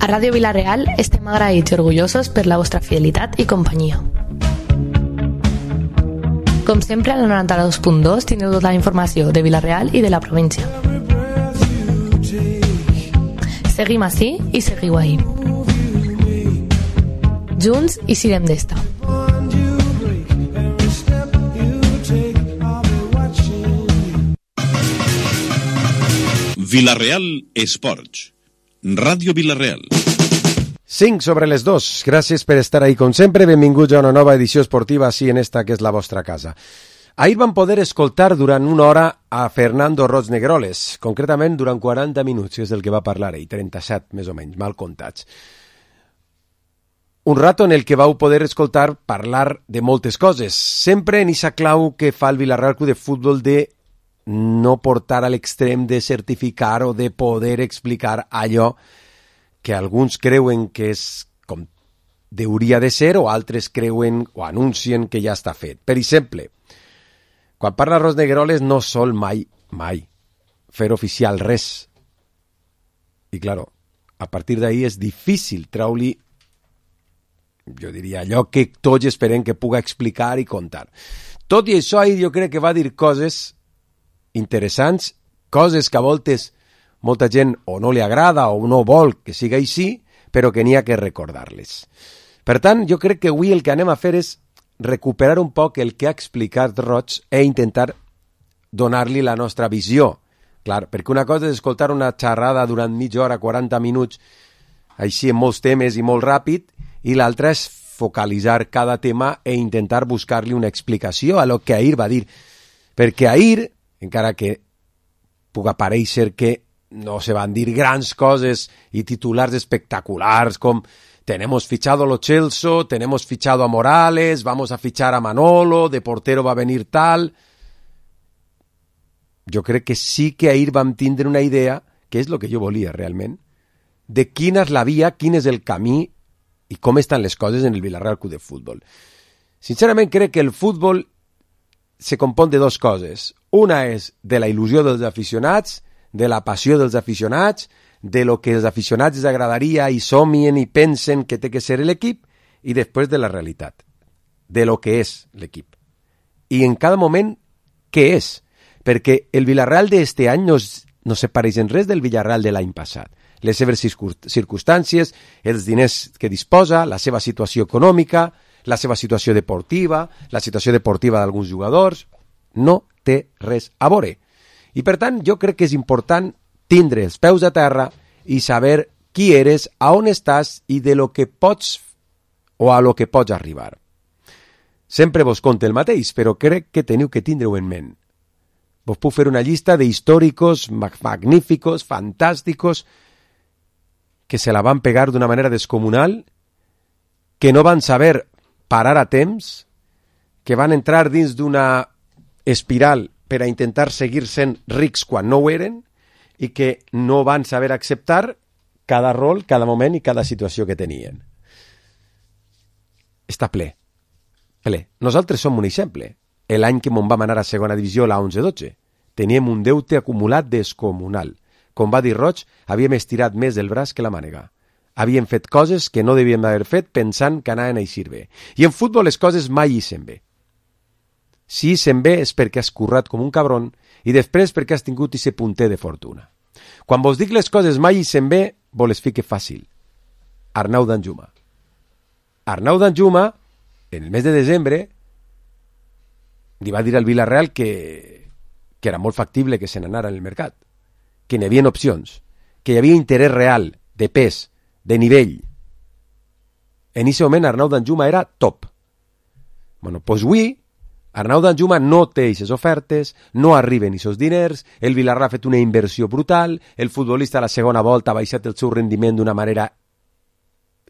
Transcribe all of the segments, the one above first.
A Ràdio Vila-real estem agraïts i orgullosos per la vostra fidelitat i companyia. Com sempre, al 92.2 teniu tota la informació de Vila-real i de la província. Seguim ací i seguiu ahí. Junts i sirem d'esta. Vila-real Esports. Ràdio Vila-real. 5 sobre les 2. Gràcies per estar ahí com sempre. Benvinguts a una nova edició esportiva així en esta que és la vostra casa. Ahir vam poder escoltar durant una hora a Fernando Roig Negroles, concretament durant 40 minuts, que és el que va parlar ell, 37 més o menys, mal comptats. Un rato en el que vau poder escoltar parlar de moltes coses, sempre en esa clau que fa el Vila-real Club de Futbol de no portar a l'extrem de certificar o de poder explicar allò que alguns creuen que és com hauria de ser o altres creuen o anuncien que ja està fet. Per exemple, quan parla Roig Negroles no sol mai fer oficial res. I claro, a partir d'ahí és difícil treure-li, jo diria, allò que tots esperem que puga explicar i contar. Tot i això, ahir jo crec que va dir coses interessants, coses que a voltes molta gent o no li agrada o no vol que siga així, però que n'hi ha que recordar-les. Per tant, jo crec que avui el que anem a fer és recuperar un poc el que ha explicat Roig i intentar donar-li la nostra visió. Clar, perquè una cosa és escoltar una xerrada durant mitja hora, 40 minuts, així en molts temes i molt ràpid, i l'altra és focalitzar cada tema i intentar buscar-li una explicació a lo que ahir va dir. Perquè ahir, encara que puga parèixer que no se van dir grans coses i titulars espectaculars com tenemos fichado a Lo Celso, tenemos fichado a Morales, vamos a fichar a Manolo, de portero va a venir tal. Jo crec que sí que ahir vam tindre una idea, que és el que jo volia realment, de quina és la via, quin és el camí i com estan les coses en el Vila-real Club de Futbol. Sincerament crec que el futbol se compon de dues coses. Una és de la il·lusió dels aficionats, de la passió dels aficionats, de lo que els aficionats els agradaria i somien i pensen que té que ser l'equip, i després de la realitat, de lo que és l'equip. I en cada moment, què és? Perquè el Vila-real d'este any no se pareix en res del Vila-real de l'any passat. Les seves circumstàncies, els diners que disposa, la seva situació econòmica, la seva situació deportiva, la situació deportiva d'alguns jugadors, no té res a veure. I per tant, jo crec que és important tindre els peus a terra i saber qui eres, a on estàs i de lo que pots o a lo que pots arribar. Sempre vos conte el mateix, però crec que teniu que tindre-ho en ment. Vos puc fer una llista d'històricos magníficos, fantàsticos, que se la van pegar d'una manera descomunal, que no van saber parar a temps, que van entrar dins d'una espiral per a intentar seguir sent rics quan no ho eren i que no van saber acceptar cada rol, cada moment i cada situació que tenien. Està ple. Nosaltres som un exemple. L'any que m'on vam anar a segona divisió, la 11-12, teníem un deute acumulat descomunal. Com va dir Roig, havíem estirat més el braç que la mànega. Havíem fet coses que no devíem haver fet pensant que anaven a eixir bé. I en futbol les coses mai ixen bé. Si ixen bé és perquè has currat com un cabron i després perquè has tingut ese punter de fortuna. Quan vos dic les coses mai ixen bé, vos les fique fàcil. Arnau Danjuma. Arnau Danjuma, en el mes de desembre, li va dir al Vila-real que era molt factible que se n'anara en el mercat, que n'hi havia opcions, que hi havia interès real, de pes, de nivell. En aquest moment Arnau Danjuma era top. Bueno, doncs avui Arnau Danjuma no té aquestes ofertes, no arriben aquests diners, el Vila-real ha fet una inversió brutal, el futbolista a la segona volta ha baixat el seu rendiment d'una manera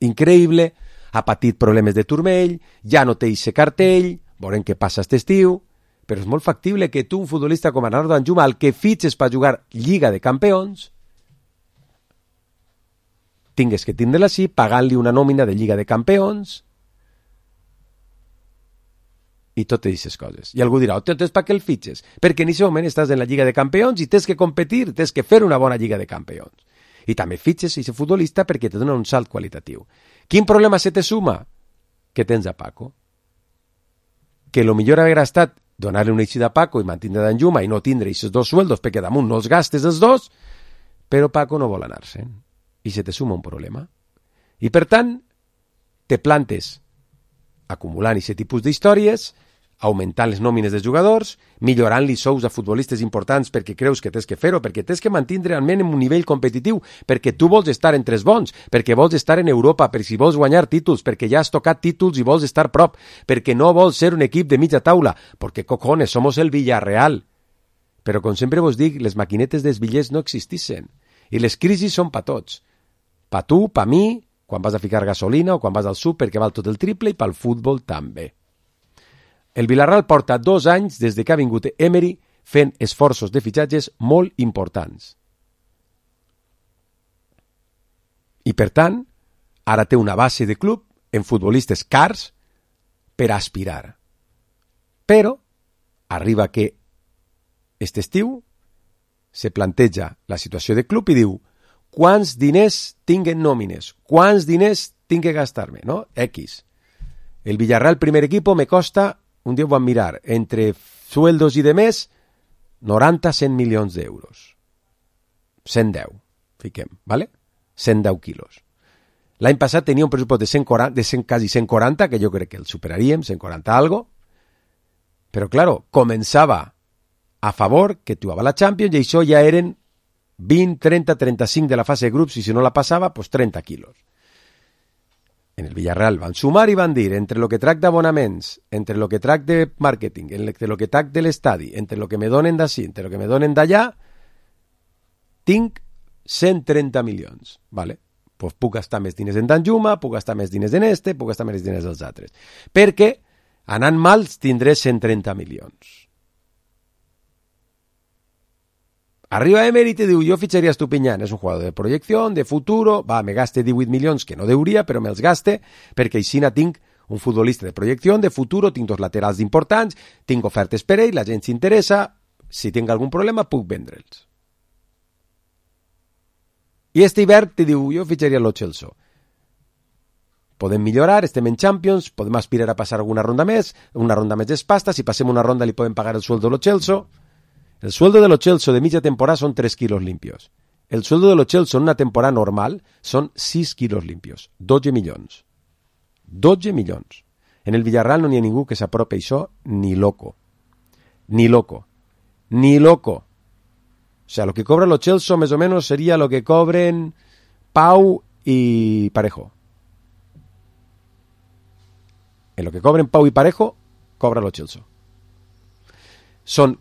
increïble, ha patit problemes de turmell, ja no té aquest cartell, veurem què passa aquest estiu, però és molt factible que tu, un futbolista com Arnau Danjuma, el que fitxes per jugar Lliga de Campions, tingues que tindre-la així, pagant-li una nòmina de Lliga de Campions, i totes aquestes coses. I algú dirà, entonces per què el fitxes? Perquè en aquest moment estàs en la Lliga de Campions i tens que competir, tens que fer una bona Lliga de Campions. I també fitxes aquest futbolista perquè te dona un salt qualitatiu. Quin problema se te suma? Que tens a Paco. Que lo millor haguera estat donar-li una eixida a Paco i mantindre Danjuma i no tindre aquests dos sueldos perquè damunt no els gastes els dos, però Paco no vol anar-se'n. I se te suma un problema. I per tant, te plantes acumulant aquest tipus d'històries, augmentant les nòmines dels jugadors, millorant-li sous a futbolistes importants perquè creus que tens que fer-ho, perquè tens que mantindre almenys en un nivell competitiu, perquè tu vols estar entre els bons, perquè vols estar en Europa, perquè si vols guanyar títols, perquè ja has tocat títols i vols estar prop, perquè no vols ser un equip de mitja taula, perquè cojones, somos el Villarreal. Però com sempre vos dic, les maquinetes dels bitllets no existissin, i les crisis són pa tots. Pa tu, pa mi, quan vas a ficar gasolina o quan vas al súper que val tot el triple, i pel futbol també. El Villarreal porta 2 anys des de que ha vingut Emery fent esforços de fitxatges molt importants. I per tant, ara té una base de club en futbolistes cars per aspirar. Però arriba que aquest estiu se planteja la situació de club i diu quants diners tinguen nòmines, quants diners tinc que gastar-me, no? X. El Villarreal primer equipo me costa, un dia ho vam mirar, entre sueldos i demés, 90-100 milions d'euros. 110, fiquem, ¿vale? 110 quilos. L'any passat tenia un pressupost de quasi 140, que jo crec que el superaríem, 140 algo, però, claro, començava a favor, que jugava la Champions, i això ja eren 20, 30, 35 de la fase de grups, i si no la passava, pues 30 quilos. En el Villarreal van sumar i van dir, entre lo que trac d'abonaments, entre lo que trac de màrqueting, entre lo que trac de l'estadi, entre lo que me donen d'ací, entre lo que me donen d'allà, tinc 130 milions, ¿vale? Pues puc gastar més diners en Danjuma, puc gastar més diners en este, puc gastar més diners dels altres. Perquè, anant mal, tindré 130 milions. Arriba Emery i te diu, jo fitxaria Estupiñán, és un jugador de projecció, de futuro, va, me gaste 18 milions, que no deuria, però me'ls gaste, perquè així tinc un futbolista de projecció, de futuro, tinc 2 laterals importants, tinc ofertes per ell, la gent s'interessa, si tinc algun problema puc vendre'ls. I este hivern te diu, jo fitxaria Lo Celso. Podem millorar, estem en Champions, podem aspirar a passar una ronda més és pasta, si passem una ronda li podem pagar el sueldo a Lo Celso. El sueldo de Lo Celso de mitja temporada son 3 kilos limpios. El sueldo de Lo Celso en una temporada normal son 6 kilos limpios. 12 milions. 12 milions. En el Villarreal no n'hi ha ningú que s'apropi això ni loco. Ni loco. Ni loco. O sea, lo que cobra Lo Celso más o menos sería lo que cobren Pau y Parejo. En lo que cobren Pau y Parejo, cobra Lo Celso. Són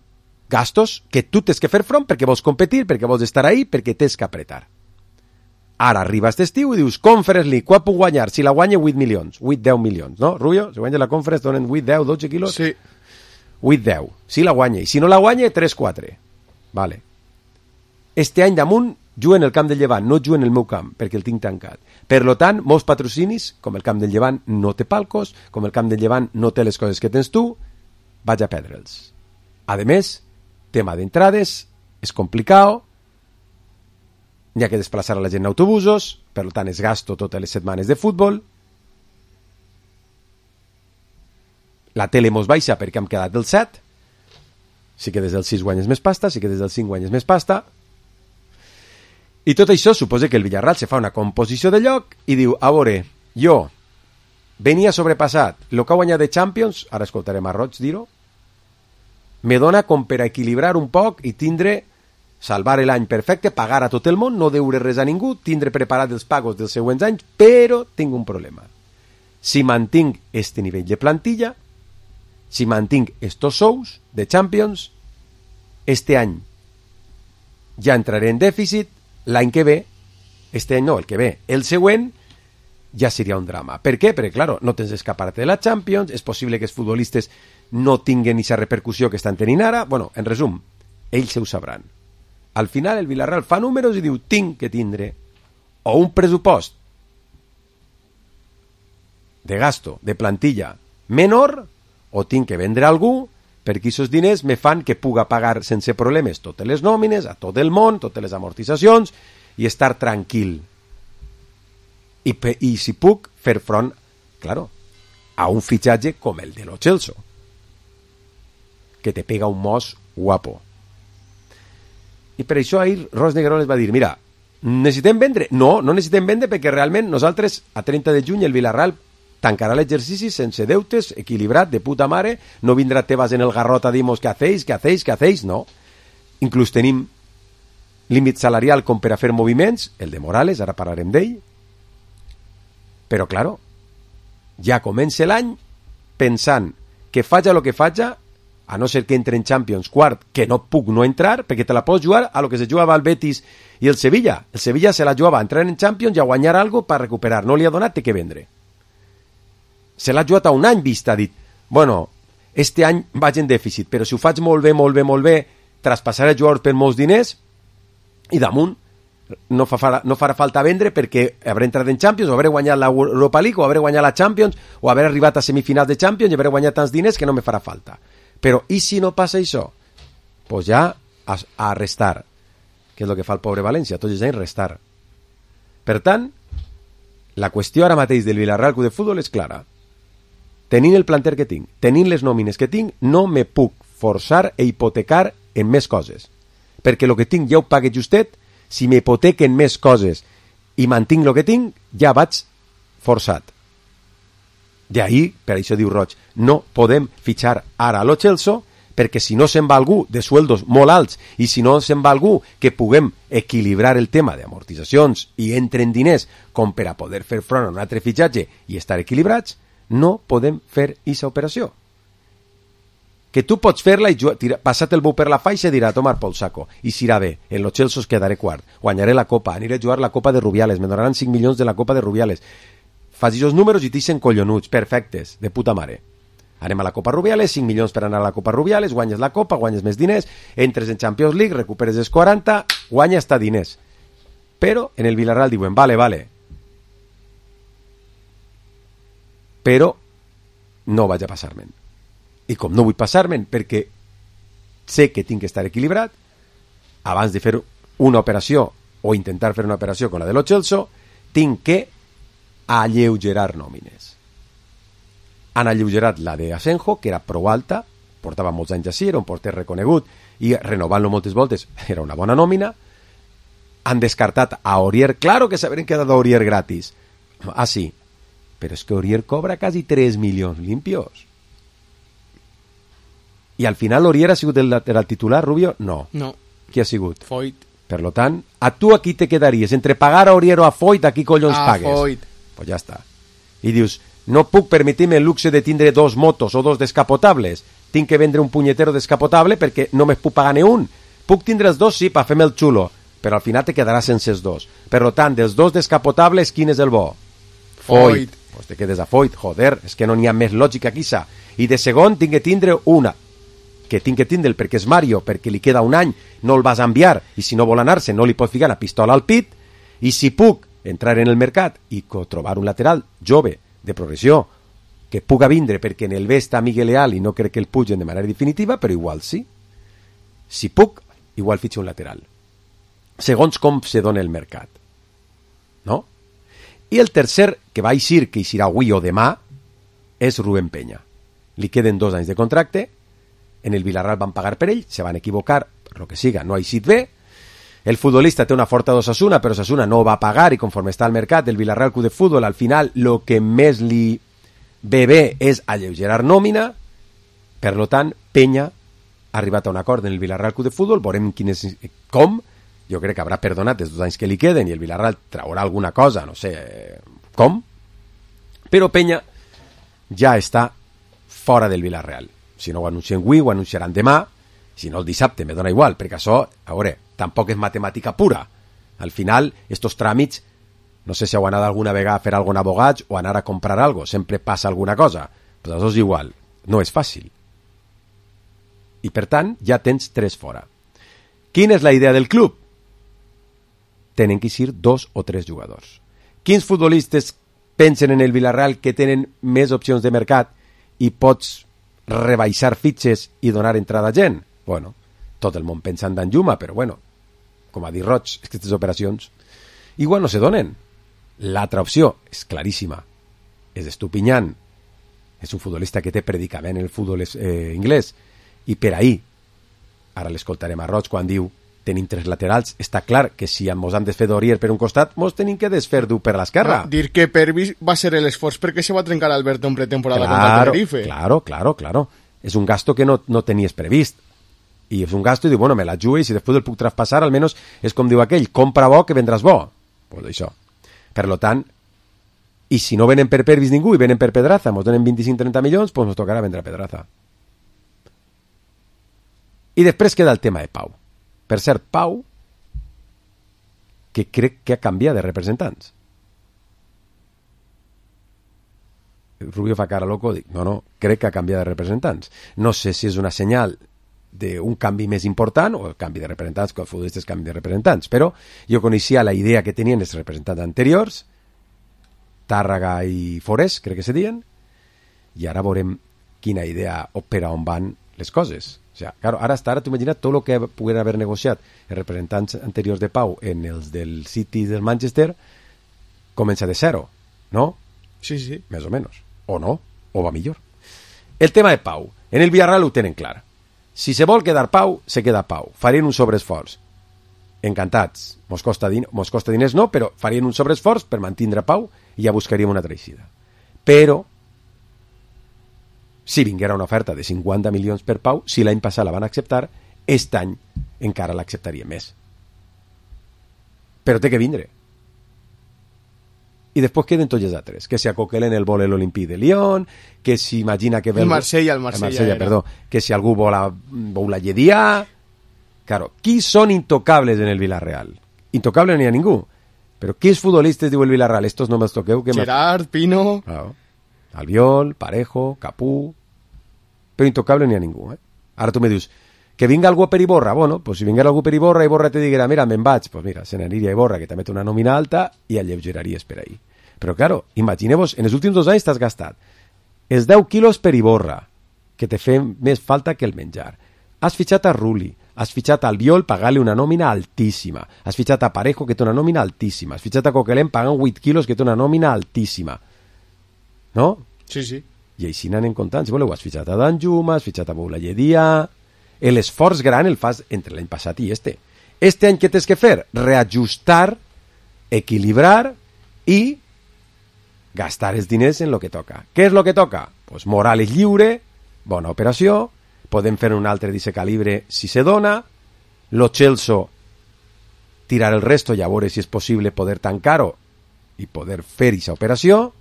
gastos que tu tens que fer front perquè vols competir, perquè vols estar ahí, perquè tens que apretar. Ara arriba aquest estiu i dius, Conference League, quan puc guanyar? Si la guanya 8 milions, 8-10 milions, no? Rubio, si guanya la Conference donen 8-10, 12 quilos? Sí. 8-10, si la guanya. I si no la guanya, 3-4. Vale. Este any damunt juguen el camp del Llevant, no juguen el meu camp, perquè el tinc tancat. Per lo tant, molts patrocinis, com el camp del Llevant no té palcos, com el camp del Llevant no té les coses que tens tu, vaig a perdre'ls. A més, tema d'entrades, és complicat, hi ha que desplaçar a la gent en autobusos, per tant es gasto totes les setmanes de futbol, la tele mos baixa perquè hem quedat del 7, si que des del 6 guanyes més pasta, si que des del 5 guanyes més pasta, i tot això suposa que el Villarreal se fa una composició de lloc i diu, a veure, jo venia sobrepassat el que ha guanyat de Champions, ara escoltarem a Roig dir-ho, me dona com per a equilibrar un poc i tindre, salvar l'any perfecte, pagar a tot el món, no deure res a ningú, tindre preparat els pagos dels següents anys, però tinc un problema. Si mantinc este nivell de plantilla, si mantinc estos sous de Champions, este any ja entraré en dèficit, l'any que ve, este any no, el que ve, el següent, ja seria un drama. Per què? Perquè, claro, no tens escapar-te de la Champions, és possible que els futbolistes no tinguen aquesta repercussió que estan tenint ara. Bueno, en resum, ells ho sabran. Al final el Villarreal fa números i diu, tinc que tindre o un pressupost de gasto, de plantilla menor, o tinc que vendre a algú perquè aquests diners me fan que puga pagar sense problemes totes les nòmines, a tot el món, totes les amortitzacions, i estar tranquil. I si puc fer front, claro, a un fitxatge com el de Lo Celso, que te pega un mos guapo. I per això ahir Ros Negrón va dir, mira, necessitem vendre? No necessitem vendre perquè realment nosaltres a 30 de juny el Villarreal tancarà l'exercici sense deutes, equilibrat, de puta mare, no vindrà Tebas en el garrot a dir-nos què hacéis, no. Inclús tenim límit salarial com per a fer moviments, el de Morales, ara parlarem d'ell, però claro, ja comença l'any pensant que faja el que faja, a no ser que entre en Champions quart, que no puc no entrar, perquè te la pots jugar a lo que se jugava al Betis i el Sevilla. El Sevilla se la jugava a entrar en Champions i a guanyar algo per recuperar. No li ha donat, té que vendre. Se l'ha jugat a un any vista, ha dit, bueno, este any vaig en dèficit, però si ho faig molt bé, traspassaré jugadors per molts diners i damunt no farà falta vendre perquè hauré entrat en Champions o hauré guanyat l'Europa League o hauré guanyat la Champions o hauré arribat a semifinals de Champions i hauré guanyat tants diners que no me farà falta. Però i si no passa això? Pues ja a restar, que és el que fa el pobre València, tots els anys restar. Per tant, la qüestió ara mateix del Villarreal Club de Futbol és clara. Tenint el planter que tinc, tenint les nòmines que tinc, no me puc forçar e hipotecar en més coses. Perquè el que tinc ja ho pague justet, si m'hipotequen més coses i mantinc el que tinc, ja vaig forçat. D'ahir, per això diu Roig, no podem fitxar ara a Lo Celso, perquè si no se'n va algú de sueldos molt alts i si no se'n va algú que puguem equilibrar el tema d'amortitzacions i entren diners com per a poder fer front a un altre fitxatge i estar equilibrats, no podem fer aquesta operació. Que tu pots fer-la i passat el bou per la faixa i dirà tomar pel saco, i si irà bé, en Lo Celso es quedaré quart, guanyaré la Copa, aniré a jugar la Copa de Rubiales, me donaran 5 milions de la Copa de Rubiales. Fas aquests números i t'ixen collonuts, perfectes, de puta mare. Anem a la Copa Rubiales, 5 milions per anar a la Copa Rubiales, guanyes la Copa, guanyes més diners, entres en Champions League, recuperes els 40, guanyes hasta diners. Però en el Villarreal diuen, vale, però no vaig a passar-me'n. I com no vull passar-me'n perquè sé que tinc que estar equilibrat, abans de fer una operació o intentar fer una operació com la de Lo Celso, tinc que alleugerar nòmines. Han alleugerat la de Asenjo, que era prou alta, portava molts anys així, era un porter reconegut, i renovant-lo moltes voltes era una bona nòmina. Han descartat a Aurier, claro que s'haveren quedat a Aurier gratis. Ah, sí, però és que Aurier cobra quasi 3 milions limpios. I al final Aurier ha sigut el lateral titular, Rubio? No. Qui ha sigut? Foyt. Per lo tant, a tu aquí te quedaries entre pagar a Aurier o a Foyt, a qui collons pagues? Foyt. Pues ja està. I dius, no puc permetir-me el luxe de tindre 2 motos o 2 descapotables. Tinc que vendre un punyetero descapotable perquè no me puc pagar ni un. Puc tindre els 2, sí, per fer-me el xulo, però al final te quedaràs sense els 2. Per lo tant, dels 2 descapotables, quin és el bo? Foyt. Pues te quedes a Foyt, joder, és que no n'hi ha més lògica que això. I de segon tinc que tindre una, que tinc que tindre'l perquè és Mario, perquè li queda un any, no el vas a enviar, i si no vol anar-se no li pots ficar la pistola al pit, i si puc entrar en el mercat i trobar un lateral jove, de progressió, que puga vindre perquè en el B està Miguel Leal i no crec que el pugen de manera definitiva, però igual sí. Si puc, igual fitxo un lateral. Segons com se dona el mercat. No? I el tercer, que va eixir, que eixirà avui o demà, és Rubén Peña. Li queden 2 anys de contracte, en el Villarreal van pagar per ell, se van equivocar, per lo que siga, no ha eixit bé. El futbolista té una forta d'Osasuna, però Osasuna no va pagar i conforme està al mercat el Villarreal Club de Futbol, al final el que més li ve bé és alleugerar nòmina. Per lo tant, Peña ha arribat a un acord en el Villarreal Club de Futbol, veurem com, jo crec que haurà perdonat els 2 anys que li queden i el Villarreal traurà alguna cosa, no sé com, però Peña ja està fora del Villarreal. Si no ho anuncien avui, ho anunciaran demà, si no el dissabte, me dona igual, perquè això, a veure, tampoc és matemàtica pura. Al final, estos tràmits, no sé si heu anat alguna vegada a fer algun abogats o anar a comprar algo, sempre passa alguna cosa, però això és igual, no és fàcil. I per tant, ja tens 3 fora. Quina és la idea del club? Tenen que ser 2 o 3 jugadors. Quins futbolistes pensen en el Villarreal que tenen més opcions de mercat i pots rebaixar fitxes i donar entrada a gent? Bueno, tot el món pensa en Danjuma, però bueno, com ha dit Roig, aquestes operacions igual no se donen. L'altra opció és claríssima. És Estupiñán. És un futbolista que té predicament en el futbol inglès. I per ahir, ara l'escoltarem a Roig quan diu tenim 3 laterals, està clar que si ens hem desfer d'Orier per un costat, mos tenim que desfer d'u per l'esquerra. Dir que Pervis va ser l'esforç perquè se va trencar Alberto en pretemporada contra el Tenerife. Claro. És un gasto que no tenies previst. I és un gasto i diu, bueno, me la jugo i si després el puc traspassar, almenys és com diu aquell, compra bo que vendràs bo. Pues això. Per lo tant, i si no venen per Pervis ningú i venen per Pedraza, mos donen 25-30 milions, pues nos tocarà vendre Pedraza. I després queda el tema de Pau. Per cert, Pau, que crec que ha canviat de representants. Rubio fa cara loco, dic, no, crec que ha canviat de representants. No sé si és una senyal d'un canvi més important o el canvi de representants, que els futbolistes canvi de representants, però jo coneixia la idea que tenien els representants anteriors, Tàrrega i Forés, crec que se diuen, i ara veurem quina idea o per on van les coses. O sea, claro, ara t'ho imagina't tot el que pogueren haver negociat els representants anteriors de Pau en els del City i del Manchester comença de zero, no? Sí. Més o menys. O no, o va millor. El tema de Pau. En el Villarreal ho tenen clar. Si se vol quedar Pau, se queda Pau. Farien un sobreesforç. Encantats. Mos costa diners no, però farien un sobreesforç per mantindre Pau i ja buscaríem una altra eixida. Però si vinguera una oferta de 50 milions per Pau, si l'any passat la van acceptar, aquest any encara l'acceptaria més. Però té que vindre. I després queden tots els altres, que si a Coquelin el vol l'Olympique de Lyon, que si imagina que... El Marsella perdó, que si algú vol la Lledia... Claro, qui són intocables en el Villarreal? Intocable no hi ha ningú. Però quins futbolistes diu el Villarreal? Estos no me'ls toqueu. Gerard, Pino... Claro. Albiol, Parejo, Capú... Però intocable no hi ha ningú, Ara tu me dius, que vinga algú per Iborra. Bueno, pues si vinguera algú per Iborra, Iborra te diguera, mira, me'n vaig. Pues mira, se n'aniria a Iborra, que també té una nòmina alta, i alleugeraries per ahí. Però claro, imagineu-vos, en els últims 2 anys t'has gastat els 10 quilos per Iborra, que te fe més falta que el menjar. Has fitxat a Rulli, has fitxat a Albiol pagant-li una nòmina altíssima, has fitxat a Parejo, que té una nòmina altíssima, has fitxat a Coquelin pagant 8 quilos, que té una nòmina altíssima. No? Sí. I així n'anen comptant. Si voleu, has fitxat a Danjuma, has fitxat a Boulayedia... L'esforç gran el fas entre l'any passat i este. Este any què tens que fer? Reajustar, equilibrar i gastar els diners en lo que toca. Què és lo que toca? Pues Morales lliure, bona operació, podem fer un altre d'aquest calibre si se dona, lo Chelsea tirar el resto i a veure si és possible poder tancar-ho i poder fer aquesta operació.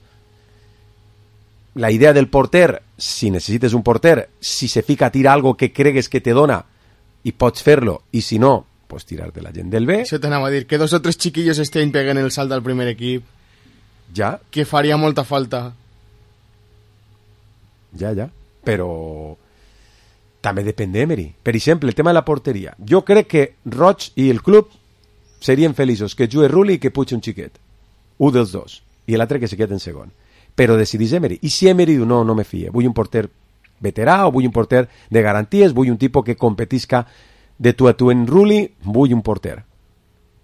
La idea del porter, si necessites un porter, si se fica a tirar algo que cregues que te dona i pots fer-lo, i si no, pues tirar de la gent del B. Això t'anava a dir, que 2 o 3 chiquillos estén peguen el salt al primer equip. Ja. Que faria molta falta. Ja. Però també depèn d'Emery. Per exemple, el tema de la porteria. Jo crec que Roig i el club serien feliços que jugui Rulli i que pugi un xiquet. Un dels dos. I l'altre que se quede en segon. Però decidís Emery. I si Emery diu, no me fie, vull un porter veterà o vull un porter de garanties, vull un tipus que competisca de tu a tu en Rulli, vull un porter.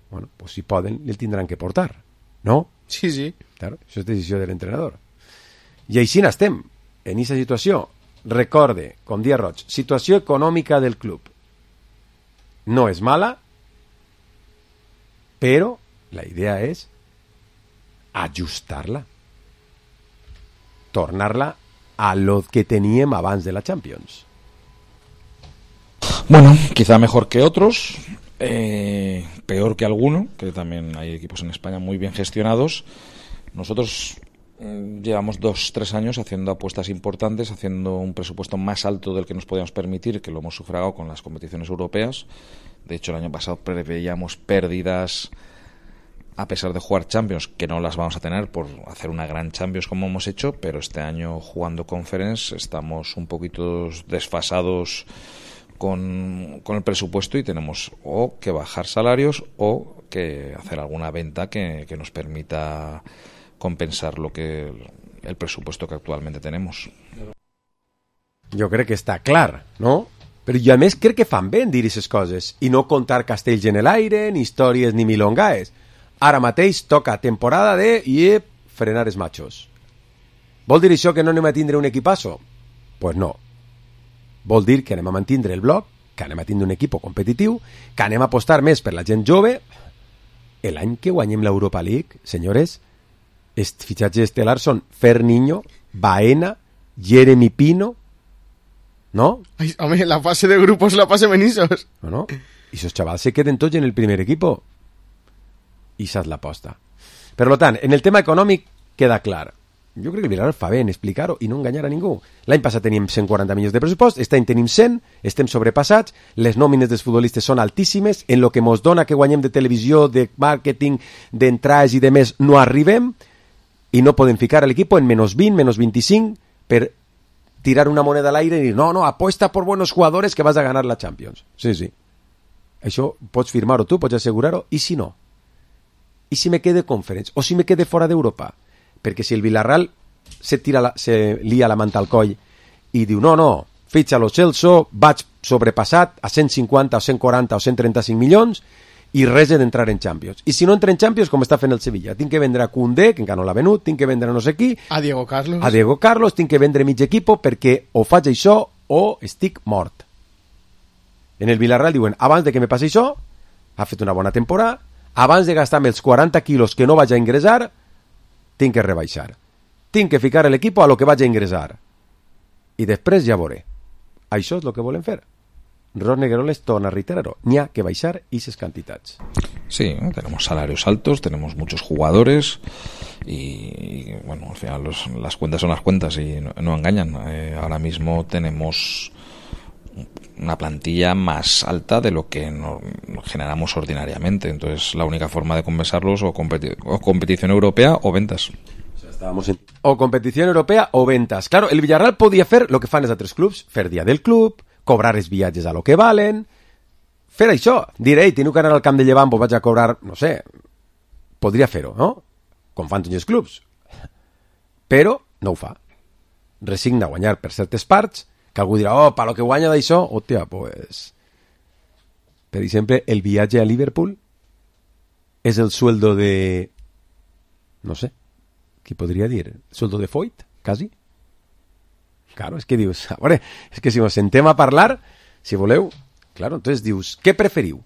Bueno, pues si poden, el tindran que portar, no? Sí. Claro, això és decisió de l'entrenador. I així n'estem, en aquesta situació. Recorde, com dia Roig, situació econòmica del club. No és mala, però la idea és ajustar-la. Tornar-la a lo que teníem abans de la Champions. Bueno, quizá mejor que otros, peor que alguno, que también hay equipos en España muy bien gestionados. Nosotros llevamos 2-3 años haciendo apuestas importantes, haciendo un presupuesto más alto del que nos podíamos permitir, que lo hemos sufragado con las competiciones europeas. De hecho, el año pasado preveíamos pérdidas a pesar de jugar Champions, que no las vamos a tener por hacer una gran Champions como hemos hecho, pero este año jugando Conference estamos un poquito desfasados con el presupuesto y tenemos o que bajar salarios o que hacer alguna venta que nos permita compensar el presupuesto que actualmente tenemos. Jo crec que està clar, no? Però jo a més crec que fan bé en dir aquestes coses i no contar castells en l'aire, ni històries ni milongaes. Ara mateix toca temporada de frenar els machos. Vol dir això que no anem a tindre un equipasso? Pues no. Vol dir que anem a mantindre el bloc, que anem a tindre un equip competitiu, que anem a apostar més per la gent jove. L'any que guanyem l'Europa League, senyores, els fitxatges estel·lars són Ferniño, Baena, Jeremy Pino, ¿no? Ay, hombre, la fase de grupos, la fase Benizos. No. I esos chavals se queden tots en el primer equipo. I esa és l'aposta. Per tant, en el tema econòmic queda clar. Jo crec que el Villarreal fa bé en explicar-ho i no enganyar a ningú. L'any passat teníem 140 milions de pressupost, aquest any tenim 100, estem sobrepassats, les nòmines dels futbolistes són altíssimes, en lo que mos dona que guanyem de televisió, de màrqueting, d'entrades i de més, no arribem, i no podem ficar a l'equip en menos 20, menos 25, per tirar una moneda al aire i dir, no, apuesta por buenos jugadores que vas a ganar la Champions. Sí, sí. Això pots firmar-ho tu, pots assegurar-ho, i si no? I si me quede Conference? O si me quede fora d'Europa? Perquè si el Villarreal se lia la manta al coll i diu, no, fitxa lo Celso, vaig sobrepassat a 150 o 140 o 135 milions i res d'entrar en Champions. I si no entra en Champions, com està fent el Sevilla, tinc que vendre a Koundé, que encara no l'ha venut, tinc que vendre no sé qui, a Diego Carlos, tinc que vendre mig equipo perquè o faig això o estic mort. En el Villarreal diuen, abans de que me passi això, ha fet una bona temporada, abans de gastar-me els 40 quilos que no vaig a ingressar, tinc que rebaixar. Tinc que ficar l'equip a lo que vaig a ingressar. I després ja veuré. Això és el que volen fer. Ros Negreroles torna a reiterar-ho. N'hi ha que baixar esas cantidades. Sí, tenemos salarios altos, tenemos muchos jugadores y bueno, al final las cuentas son las cuentas y no engañan. Ahora mismo tenemos una plantilla más alta de lo que generamos ordinariamente. Entonces, la única forma de compensarlos o competición europea o ventas. O competición europea o ventas. Claro, el Villarreal podía fer lo que fan els altres clubs, fer dia del club, cobrar els viatges a lo que valen, fer això. Dir, tinc que anar al camp de Llevant, pues vaig a cobrar, no sé, podria fer-ho, no? Com fan tots els clubs. Però no ho fa. Resigna a guanyar per certes parts, que algú dirà, per lo que guanya d'això, hòstia, pues... Per exemple, el viatge a Liverpool és el sueldo de... No sé, què podria dir? Sueldo de Foyt, quasi? Claro, és que dius... A veure, és que si ens sentem a parlar, si voleu... Claro, entonces dius, què preferiu?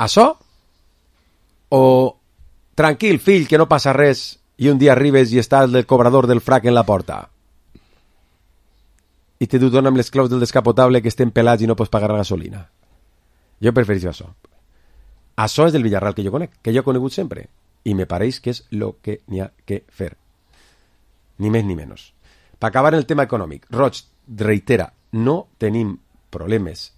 Això? O tranquil, fill, que no passa res i un dia arribes i està el cobrador del frac en la porta? I te dona amb les claus del descapotable que estem pelats i no pots pagar la gasolina. Jo prefereixo això. Això és del Villarreal que jo conec, que jo he conegut sempre. I me pareix que és el que n'hi ha que fer. Ni més ni menys. Per acabar el tema econòmic, Roig reitera, no tenim problemes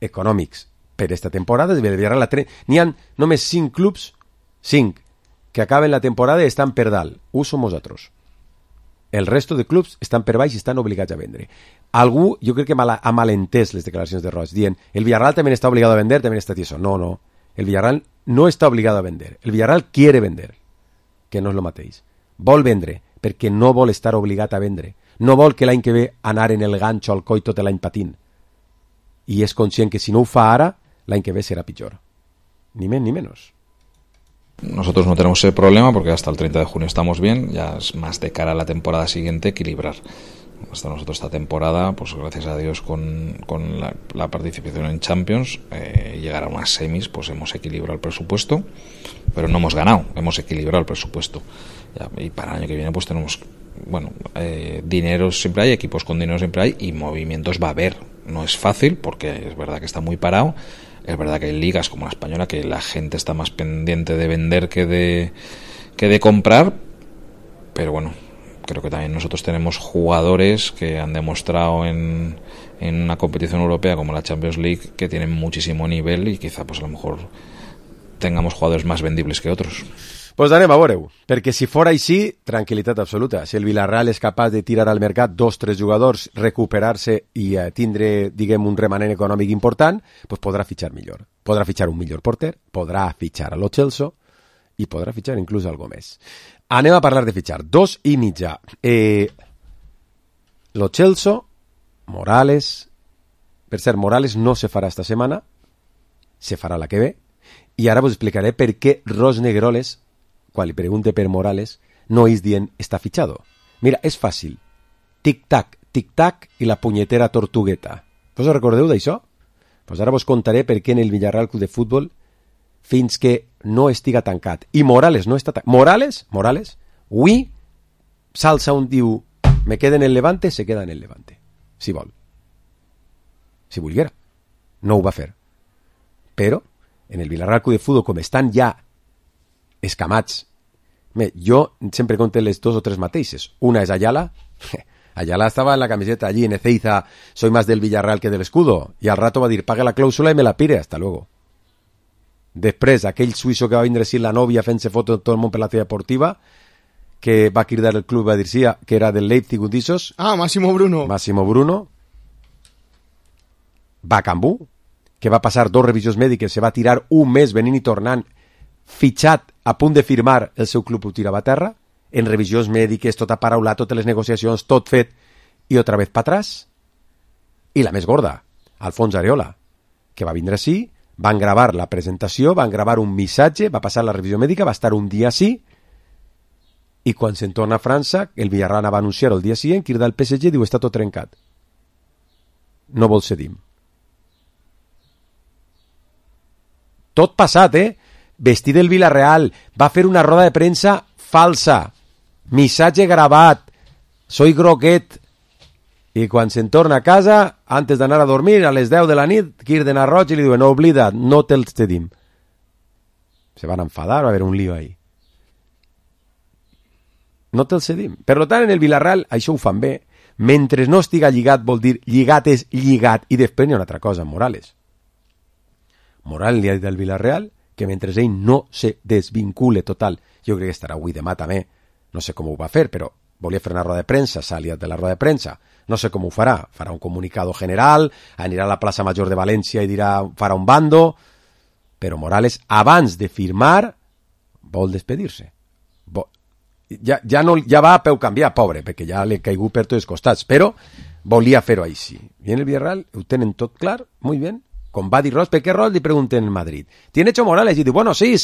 econòmics per esta temporada. Del Villarreal n'hi ha només 5 clubs, 5, que acaben la temporada i estan per dalt. Ho som nosaltres. El resto de clubs estan per baix i estan obligats a vendre. Algú, jo crec que ha malentès les declaracions de Roig, dient, el Villarreal també està obligat a vender, també està tieso. No. El Villarreal no està obligat a vender. El Villarreal quiere vender, que no és el mateix. Vol vendre, perquè no vol estar obligat a vendre. No vol que l'any que ve anar en el ganxo al coll tot l'any patint. I és conscient que si no ho fa ara, l'any que ve serà pitjor. Ni més ni menys. Nosotros no tenemos ese problema porque hasta el 30 de junio estamos bien, ya es más de cara a la temporada siguiente equilibrar. Hasta nosotros esta temporada, pues gracias a Dios con la participación en Champions, llegar a unas semis, pues hemos equilibrado el presupuesto, pero no hemos ganado, hemos equilibrado el presupuesto. Y para el año que viene pues tenemos, bueno, dinero siempre hay, equipos con dinero siempre hay y movimientos va a haber. No es fácil porque es verdad que está muy parado. Es verdad que hay ligas como la española que la gente está más pendiente de vender que de comprar, pero bueno, creo que también nosotros tenemos jugadores que han demostrado en una competición europea como la Champions League que tienen muchísimo nivel y quizá pues a lo mejor tengamos jugadores más vendibles que otros. Pues anem a veure-ho, perquè si fora així, tranquil·litat absoluta. Si el Villarreal és capaç de tirar al mercat 2-3 jugadors, recuperar-se i tindre, diguem, un remanent econòmic important, pues podrà fitxar millor. Podrà fitxar un millor porter, podrà fitxar a lo Celso i podrà fitxar inclús algo més. Anem a parlar de fitxar. 2 i mitja. Lo Celso, Morales... Per cert, Morales no se farà esta setmana, se farà la que ve. I ara vos explicaré per què Ros Negroles, quan li pregunte per Morales, no és dient està fitxado. Mira, és fàcil. Tic-tac i la punyetera tortugueta. Vos recordeu d'això? Pues ara vos contaré per què en el Villarreal Club de Futbol fins que no estiga tancat. I Morales no està tancat. Morales, avui s'alça un diu me queda en el Levante, se queda en el Levante. Si vol. Si volguera. No ho va fer. Però en el Villarreal Club de Futbol, com estan ja escamats, jo sempre conté les dos o tres mateixes. Una és Ayala. Ayala estaba en la camiseta allí en Ezeiza, soy más del Villarreal que del Escudo, y al rato va a dir, pague la clàusula y me la pire, hasta luego. Després, aquell suïsso que va vindre així la nòvia fent-se foto de tot el món per la ciutat deportiva, que va cridar el club, va dir sí, que era del Leipzig, Udissos. Máximo Bruno, va a Cambú, que va passar 2 revisions mèdiques, se va tirar un mes venint i tornant, fitxat, a punt de firmar, el seu club ho tirava a terra, en revisions mèdiques, tot aparaulat, totes les negociacions, tot fet, i otra vez pa atrás. I la més gorda, Alfons Areola, que va vindre així, van gravar la presentació, van gravar un missatge, va passar la revisió mèdica, va estar un dia així, i quan se'n torna a França, el Villarreal va anunciar el dia següent, crida al PSG i diu, està tot trencat. No vol cedim. Tot passat, vestit del Villarreal, va fer una roda de premsa falsa, missatge gravat, soy groguet, i quan se'n torna a casa, antes d'anar a dormir, a les 10 de la nit, criden a Roig i li diuen, no oblida, no te'ls cedim. Se van enfadar, va haver un lío ahí. No te'ls cedim. Per tant, en el Villarreal, això ho fan bé. Mentre no estiga lligat, vol dir, lligat és lligat, i després hi ha una altra cosa, Morales. Morales li ha dit al Villarreal que mentre ell no se desvincule total, jo crec que estarà avui demà també, no sé com ho va fer, però volia fer una roda de premsa, s'ha liat de la roda de premsa, no sé com ho farà un comunicado general, anirà a la plaça Major de València i dirà, farà un bando, però Morales, abans de firmar, vol despedir-se. Ja va a peu canviar, pobre, perquè ja l'he caigut per tots els costats, però volia fer-ho així. I en el Villarreal ho tenen tot clar, muy bien. Com va dir Ros, ¿per qué Ros? Le pregunten en Madrid. ¿Tiene hecho Morales? Y dice, bueno, sí.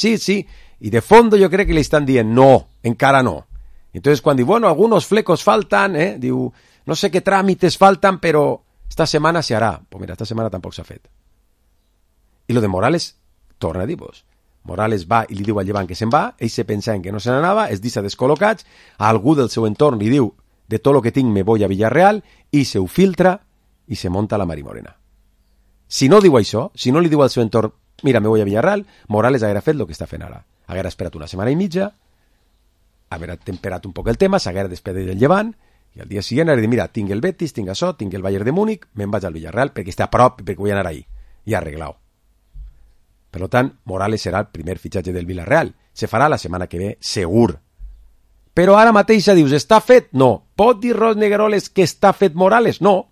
Y de fondo yo creo que le están diciendo, no, encara no. Entonces cuando dice, bueno, algunos flecos faltan, diu, no sé qué trámites faltan, pero esta semana se hará. Pues mira, esta semana tampoc s'ha fet. I lo de Morales, torna a dir-vos. Morales va i li diu al Llevant que se'n va, ells se pensaven que no se n'anava, es deixa descol·locats, a algú del seu entorn li diu, de tot lo que tinc me voy a Villarreal, i se ho filtra i se monta la Marimorena. Si no diu això, si no li diu al seu entorn, mira, me voy a Villarreal, Morales haguera fet el que està fent ara. Haguera esperat una setmana i mitja, haguera temperat un poc el tema, s'haguera despedit del Llevant, i al dia següent haguera dit, mira, tinc el Betis, tinc això, tinc el Bayern de Múnich, me'n vaig al Villarreal perquè està a prop i perquè vull anar ahí. I arreglau. Per tant, Morales serà el primer fitxatge del Villarreal. Se farà la setmana que ve, segur. Però ara mateixa dius, està fet? No. Pot dir Ros Negroles que està fet Morales? No.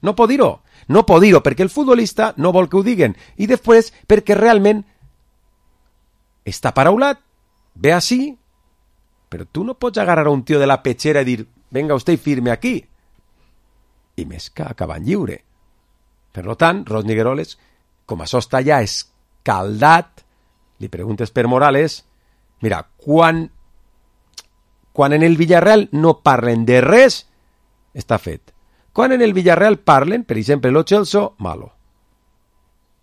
No pot dir-ho. No pot dir-ho perquè el futbolista no vol que ho diguen. I després perquè realment està paraulat, ve així, però tu no pots agarrar a un tio de la pechera i dir, venga usted y firme aquí. I més que acabant lliure. Per tant, Ros Negroles, com això està ja escaldat, li preguntes per Morales, mira, quan en el Villarreal no parlen de res, està fet. Quan en el Villarreal parlen, per exemple, Lo Celso, malo.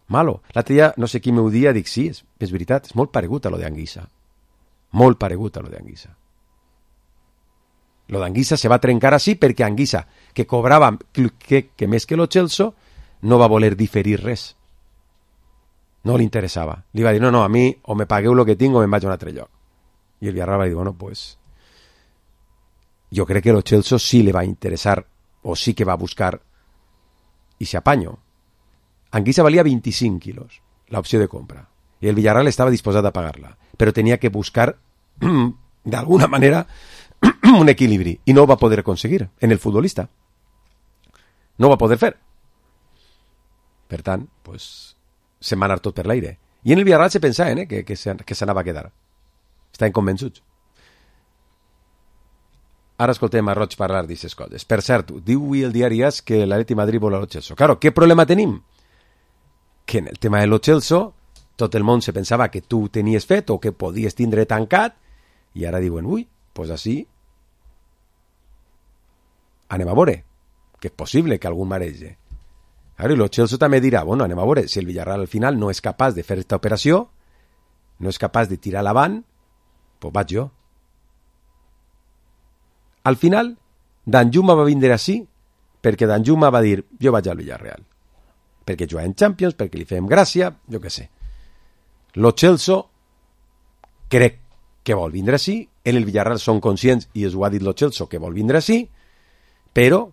L'altre dia, no sé qui m'ho dia, dic, sí, és veritat, és molt paregut a lo d'Anguissa. Molt paregut a lo d'Anguissa. Lo d'Anguissa se va trencar així perquè Anguissa, que cobrava que més que Lo Celso, no va voler diferir res. No li interessava. Li va dir, no, a mi o me pagueu el que tinc o me'n vaig a un altre lloc. I el Villarreal va dir, bueno, pues jo crec que Lo Celso sí le va interessar o sí que va buscar i se apaño. Anguissa valia 25 quilos, la opció de compra. I el Villarreal estava disposat a pagar-la. Però tenia que buscar, d'alguna manera, un equilibri. I no ho va poder aconseguir en el futbolista. No ho va poder fer. Per tant, pues, se'n va anar tot per l'aire. I en el Villarreal se pensaven que s'anava a quedar. Estaven convençuts. Ara escoltem a Roig parlar d'aquestes coses. Per cert, diu avui el diari AS que l'Atleti Madrid vol a Lo Celso. Claro, què problema tenim? Que en el tema de Lo Celso tot el món se pensava que tu tenies fet o que podies tindre tancat, i ara diuen, ui, pues així anem a veure, que és possible que algun marege. Ara, i el Chelsea també dirà, bueno, anem a veure, si el Villarreal al final no és capaç de fer aquesta operació, no és capaç de tirar l'avant, pues vaig jo. Al final, Danjuma va vindre així perquè Danjuma va dir, jo vaig al Villarreal. Perquè juga en Champions, perquè li fem gràcia, jo què sé. Lo Chelsea crec que vol vindre així, en el Villarreal són conscients, i es ho ha dit lo Chelsea, que vol vindre així, però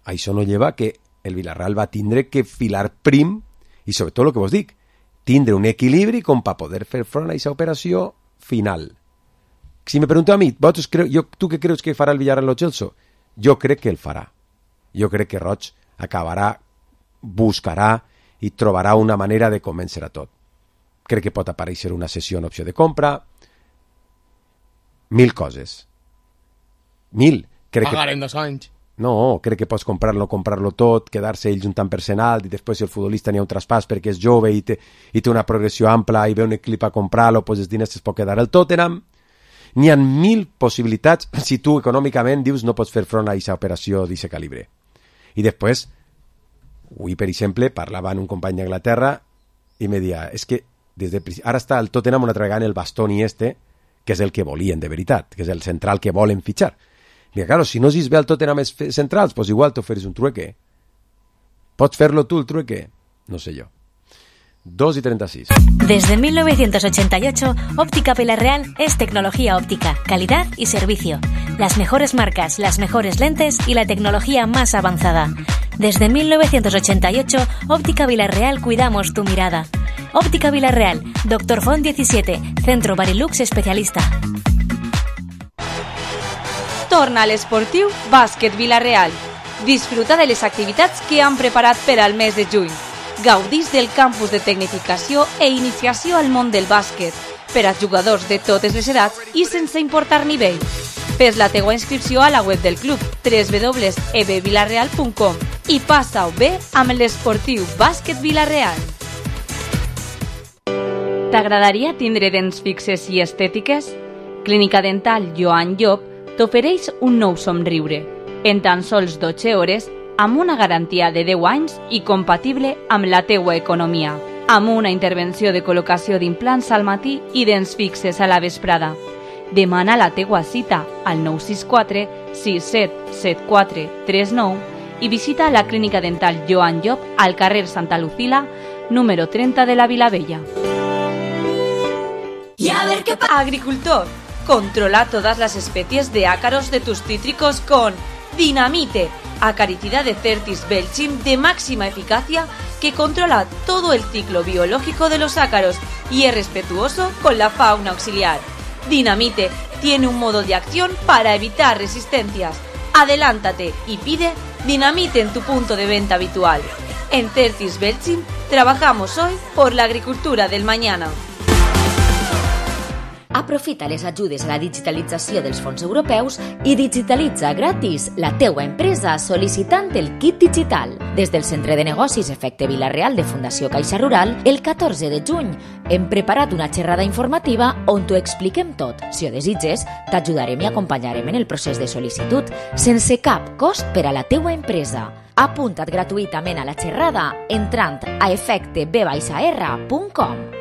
això no lleva que el Villarreal va tindre que filar prim, i sobretot el que vos dic, tindre un equilibri com per poder fer front a aquesta operació final. Si me pregunteu a mi, tu què creus que farà el Villarreal lo Chelsea? Jo crec que el farà. Jo crec que Roig acabarà, buscarà i trobarà una manera de convèncer a tot. Crec que pot aparèixer una sessió en opció de compra, 1000 coses. 1000. Pagar en 2 anys. No, crec que pots comprar-lo tot, quedar-se ell juntant personal, i després si el futbolista n'hi ha un traspàs perquè és jove i té una progressió ampla i ve un equip a comprar-lo, doncs els diners es pot quedar al Tottenham. N'hi ha 1000 possibilitats si tu econòmicament dius no pots fer front a aquesta operació d'aquest calibre. I després, avui, per exemple, parlava amb un company d'Anglaterra i me deia, és que ara està el Tottenham una altra vegada en el Bastoni que és el que volien de veritat, que és el central que volen fitxar. Mira, claro, si no es ve al Tottenham centrals, pues igual t'oferis un trueque. ¿Pots fer-lo tú el trueque? No sé yo. 2:36. Desde 1988, Óptica Villarreal es tecnología óptica, calidad y servicio. Las mejores marcas, las mejores lentes y la tecnología más avanzada. Desde 1988, Óptica Villarreal cuidamos tu mirada. Óptica Villarreal, Dr. Font 17, Centro Barilux especialista. Torna a l'esportiu Bàsquet Vila-real. Disfruta de les activitats que han preparat per al mes de juny. Gaudís del campus de tecnificació e iniciació al món del bàsquet per a jugadors de totes les edats i sense importar nivell. Fes la teua inscripció a la web del club www.ebvilareal.com i passa-ho bé amb l'esportiu Bàsquet Vila-real. T'agradaria tindre dents fixes i estètiques? Clínica Dental Joan Llop t'ofereix un nou somriure, en tan sols 12 hores, amb una garantia de 10 anys i compatible amb la teua economia, amb una intervenció de col·locació d'implants al matí i dents fixes a la vesprada. Demana la teua cita al 964 6774 39 i visita la Clínica Dental Joan Llop al carrer Santa Lucila, número 30 de la Vilavella. Y a ver qué pasa. Agricultor, controla todas las especies de ácaros de tus cítricos con Dinamite, acaricida de Certis Belchim de máxima eficacia que controla todo el ciclo biológico de los ácaros y es respetuoso con la fauna auxiliar. Dinamite tiene un modo de acción para evitar resistencias. Adelántate y pide Dinamite en tu punto de venta habitual. En Certis Belchim trabajamos hoy por la agricultura del mañana. Aprofita les ajudes a la digitalització dels fons europeus i digitalitza gratis la teua empresa sol·licitant el kit digital. Des del Centre de Negocis Efecte Vila-real de Fundació Caixa Rural, el 14 de juny hem preparat una xerrada informativa on t'ho expliquem tot. Si ho desitges, t'ajudarem i acompanyarem en el procés de sol·licitud sense cap cost per a la teua empresa. Apunta't gratuïtament a la xerrada entrant a efecteb-r.com.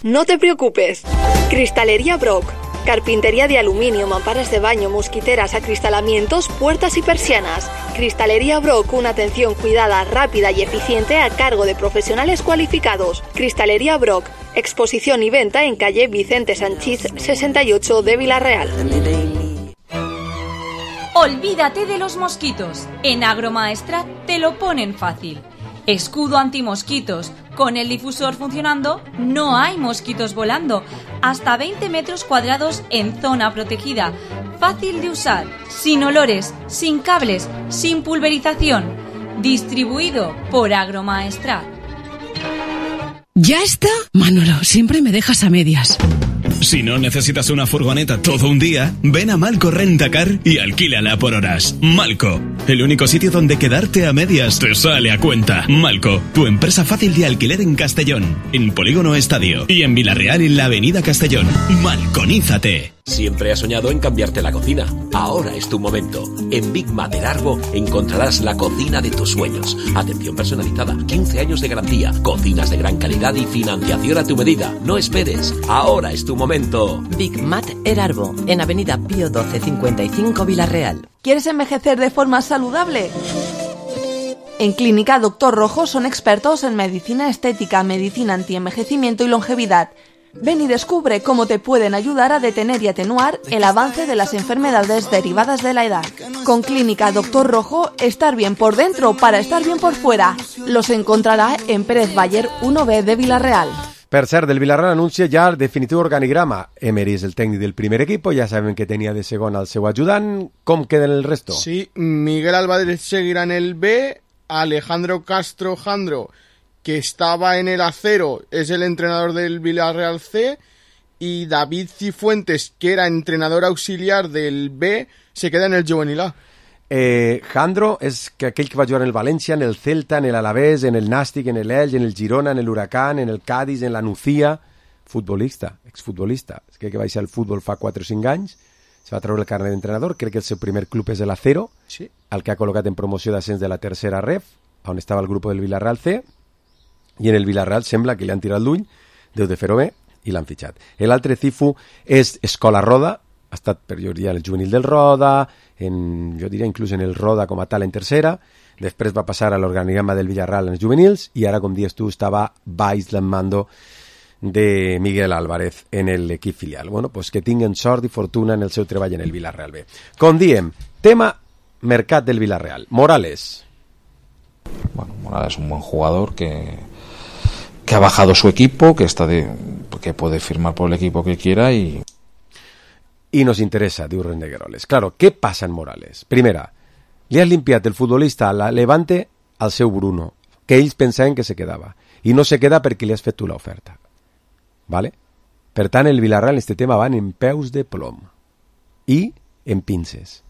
No te preocupes. Cristalería Brock. Carpintería de aluminio, mamparas de baño, mosquiteras, acristalamientos, puertas y persianas. Cristalería Brock, una atención cuidada, rápida y eficiente a cargo de profesionales cualificados. Cristalería Brock. Exposición y venta en calle Vicente Sanchís 68 de Vila-real. Olvídate de los mosquitos. En Agromaestrat te lo ponen fácil. Escudo antimosquitos. Con el difusor funcionando, no hay mosquitos volando. Hasta 20 metros cuadrados en zona protegida. Fácil de usar, sin olores, sin cables, sin pulverización. Distribuido por Agromaestrat. ¿Ya está? Manolo, siempre me dejas a medias. Si no necesitas una furgoneta todo un día, ven a Malco Rentacar y alquílala por horas. Malco, el único sitio donde quedarte a medias te sale a cuenta. Malco, tu empresa fácil de alquiler en Castellón, en Polígono Estadio y en Villarreal en la Avenida Castellón. Malconízate. Siempre has soñado en cambiarte la cocina. Ahora es tu momento. En Big Mat El Arbo encontrarás la cocina de tus sueños. Atención personalizada, 15 años de garantía, cocinas de gran calidad y financiación a tu medida. No esperes. Ahora es tu momento. Big Mat El Arbo, en Avenida Pío 1255 Villarreal. ¿Quieres envejecer de forma saludable? En Clínica Doctor Rojo son expertos en medicina estética, medicina antienvejecimiento y longevidad. Ven y descubre cómo te pueden ayudar a detener y atenuar el avance de las enfermedades derivadas de la edad. Con Clínica Doctor Rojo, estar bien por dentro para estar bien por fuera. Los encontrarà en Pérez Baller 1B de Villarreal. Per cert, del Villarreal anuncia ja el definitiu organigrama. Emery és el tècnic del primer equipo, ja sabem que tenia de segon al seu ajudant. Com queden el resto? Sí, Miguel Álvarez seguirá en el B, Alejandro Castro Jandro, que estaba en el Acero, es el entrenador del Villarreal C, y David Cifuentes, que era entrenador auxiliar del B, se queda en el Juvenil A. Jandro és aquell que va jugar en el València, en el Celta, en el Alavés, en el Nàstic, en el Elx, en el Girona, en el Huracán, en el Cádiz, en la Nucía. Futbolista, exfutbolista. És que va deixar el futbol fa 4 o 5 anys, se va treure el carnet d'entrenador, crec que el seu primer club és el Acero, sí, el que ha col·locat en promoció d'ascens de la tercera ref, on estava el grup del Villarreal C, i en el Villarreal sembla que li han tirat l'ull, deu de fer-ho bé, i l'han fitxat. L'altre Cifu és Escola Roda, ha estat per jo diria el juvenil del Roda, jo diria inclús en el Roda com a tal en tercera, després va passar a l'organigrama del Villarreal en els juvenils, i ara, com dius tu, estava baix del mando de Miguel Álvarez en l'equip filial. Bueno, pues que tinguen sort i fortuna en el seu treball en el Villarreal B. Com diem, tema mercat del Villarreal. Morales. Bueno, Morales es un buen jugador que ha bajado su equipo, que puede firmar por el equipo que quiera y nos interesa, diu Rendegueroles. Claro, què passa en Morales? Primera, li has limpiat el futbolista a la Levante al seu Bruno, que ells pensaven que se quedava, i no se queda perquè li has fet tu l'oferta. ¿Vale? Per tant, el Villarreal en este tema van en peus de plom i en pinces.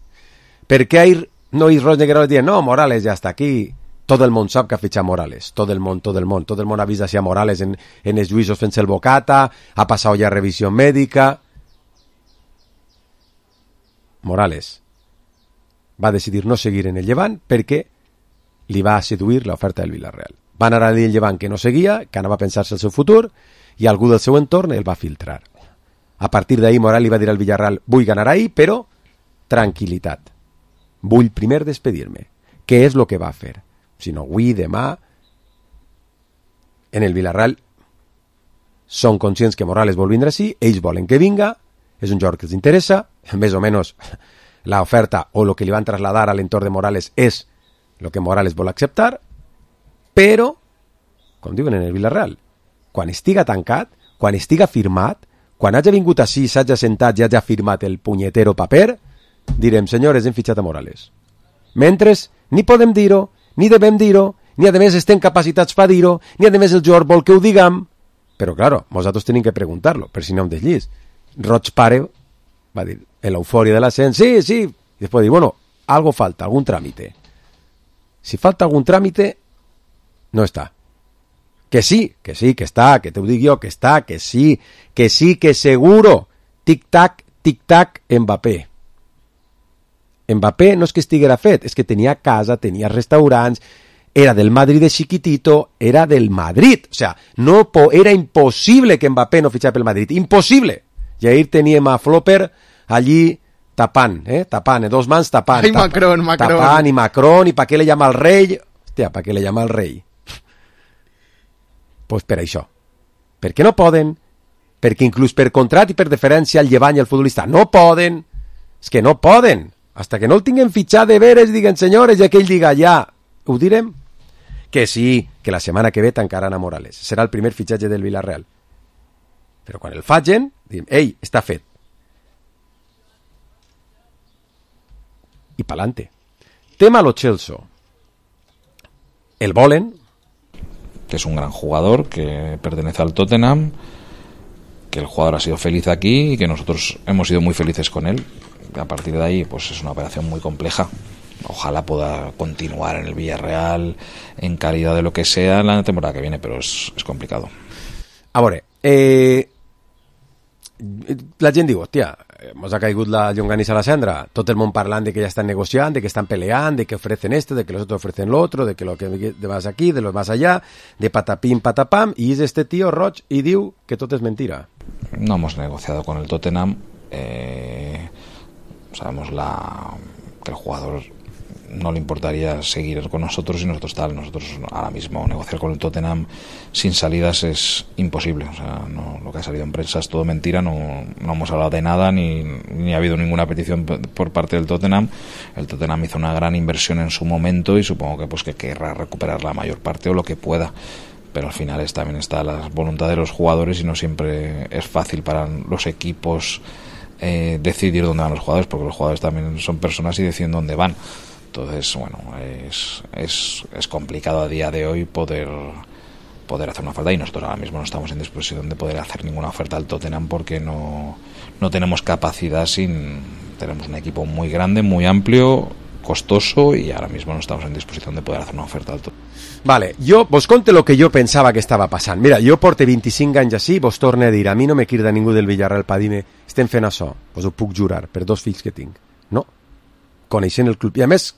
Per què no hi Rendegueroles dient no, Morales ja està aquí? Tot el món sap que ha fitxat Morales, tot el món ha vist així a Morales en els juïsos fent-se el bocata, ha passat ja revisió mèdica. Morales va decidir no seguir en el Llevant perquè li va seduir l'oferta del Villarreal. Va anar a dir el Llevant que no seguia, que anava a pensar-se el seu futur, i algú del seu entorn el va filtrar. A partir d'ahir Morales li va dir al Villarreal vull ganar ahir, però tranquil·litat. Vull primer despedir-me. Què és el que va fer? Si no, avui, demà, en el Villarreal són conscients que Morales vol vindre així, ells volen que vinga, és un jugador que els interessa, més o menys l'oferta o el que li van trasladar a l'entorn de Morales és el que Morales vol acceptar, però, com diuen en el Villarreal, quan estiga tancat, quan estiga firmat, quan hagi vingut així, s'hagi sentat i hagi firmat el punyetero paper, direm, senyores, hem fitxat a Morales. Mentre, ni podem dir-ho, ni devem dir-ho, ni a més estem capacitats per dir-ho, ni a més el jugador vol que ho diguem. Però, claro, nosaltres tenim que preguntar-lo, per si no hem desllis. Roig pare va dir, en l'eufòria de l'ascens, sí, i després dir, bueno, algo falta, algun tràmite. Si falta algun tràmite, no està. Que sí, que està, que t'ho dic jo, que està, que sí, que seguro. Tic-tac, Mbappé. Mbappé no és que estiguera fet, és que tenia casa, tenia restaurants, era del Madrid de chiquitito, era del Madrid. O sea, era imposible que Mbappé no fitxara pel Madrid. Imposible. I ahir teníem a Flopper allí tapant, dos mans tapant. Ai, Macron. Tapant, i Macron, i pa què le llama el rei? Hòstia, pa què le llama el rei? Pues per això. Perquè no poden, perquè inclús per contrat i per deferència al Llevant i al futbolista no poden. És que no poden. Hasta que no el tinguen fitxat de veres, diguen senyores, i aquell diga ja, ho direm? Que sí, que la setmana que ve tancaran a Morales. Serà el primer fitxatge del Villarreal. Però quan el facin, diguem, ei, està fet. I pa'lante. Tema Lo Celso. El volen. Que es un gran jugador, que pertenece al Tottenham, que el jugador ha sido feliz aquí y que nosotros hemos sido muy felices con él. A partir de ahí, pues es una operación muy compleja. Ojalá pueda continuar en el Villarreal en calidad de lo que sea en la temporada que viene, però és complicado. A veure, la gent diu, hòstia, mos ha caigut la llonganissa a la cendra, tot el món parlant de que ja estan negociant, de que estan peleant, de que ofrecen esto, de que los otros ofrecen lo otro, de que lo que de más aquí, de lo más allá, de patapim, patapam, y es este tío Roig y diu que tot és mentira. No hemos negociado con el Tottenham, sabemos que el jugador no le importaría seguir con nosotros y nosotros ahora mismo negociar con el Tottenham sin salidas es imposible. O sea, no, lo que ha salido en prensa es todo mentira, no hemos hablado de nada ni ha habido ninguna petición por parte del Tottenham. El Tottenham hizo una gran inversión en su momento y supongo que pues que querrá recuperar la mayor parte o lo que pueda, pero al final también está la voluntad de los jugadores y no siempre es fácil para los equipos decidir dónde van los jugadores, porque los jugadores también son personas y deciden dónde van. Entonces, bueno, es complicado a día de hoy poder hacer una oferta, y nosotros ahora mismo no estamos en disposición de poder hacer ninguna oferta al Tottenham porque no tenemos capacidad. Tenemos un equipo muy grande, muy amplio, costoso, y ahora mismo no estamos en disposición de poder hacer una oferta al Tottenham. Vale, jo vos conte lo que jo pensava que estava passant. Mira, jo porto 25 anys així, vos torne a dir, a mi no me crida ningú del Villarreal per dir-me estem fent això, vos ho puc jurar, per 2 fills que tinc. No, coneixent el club. I a més,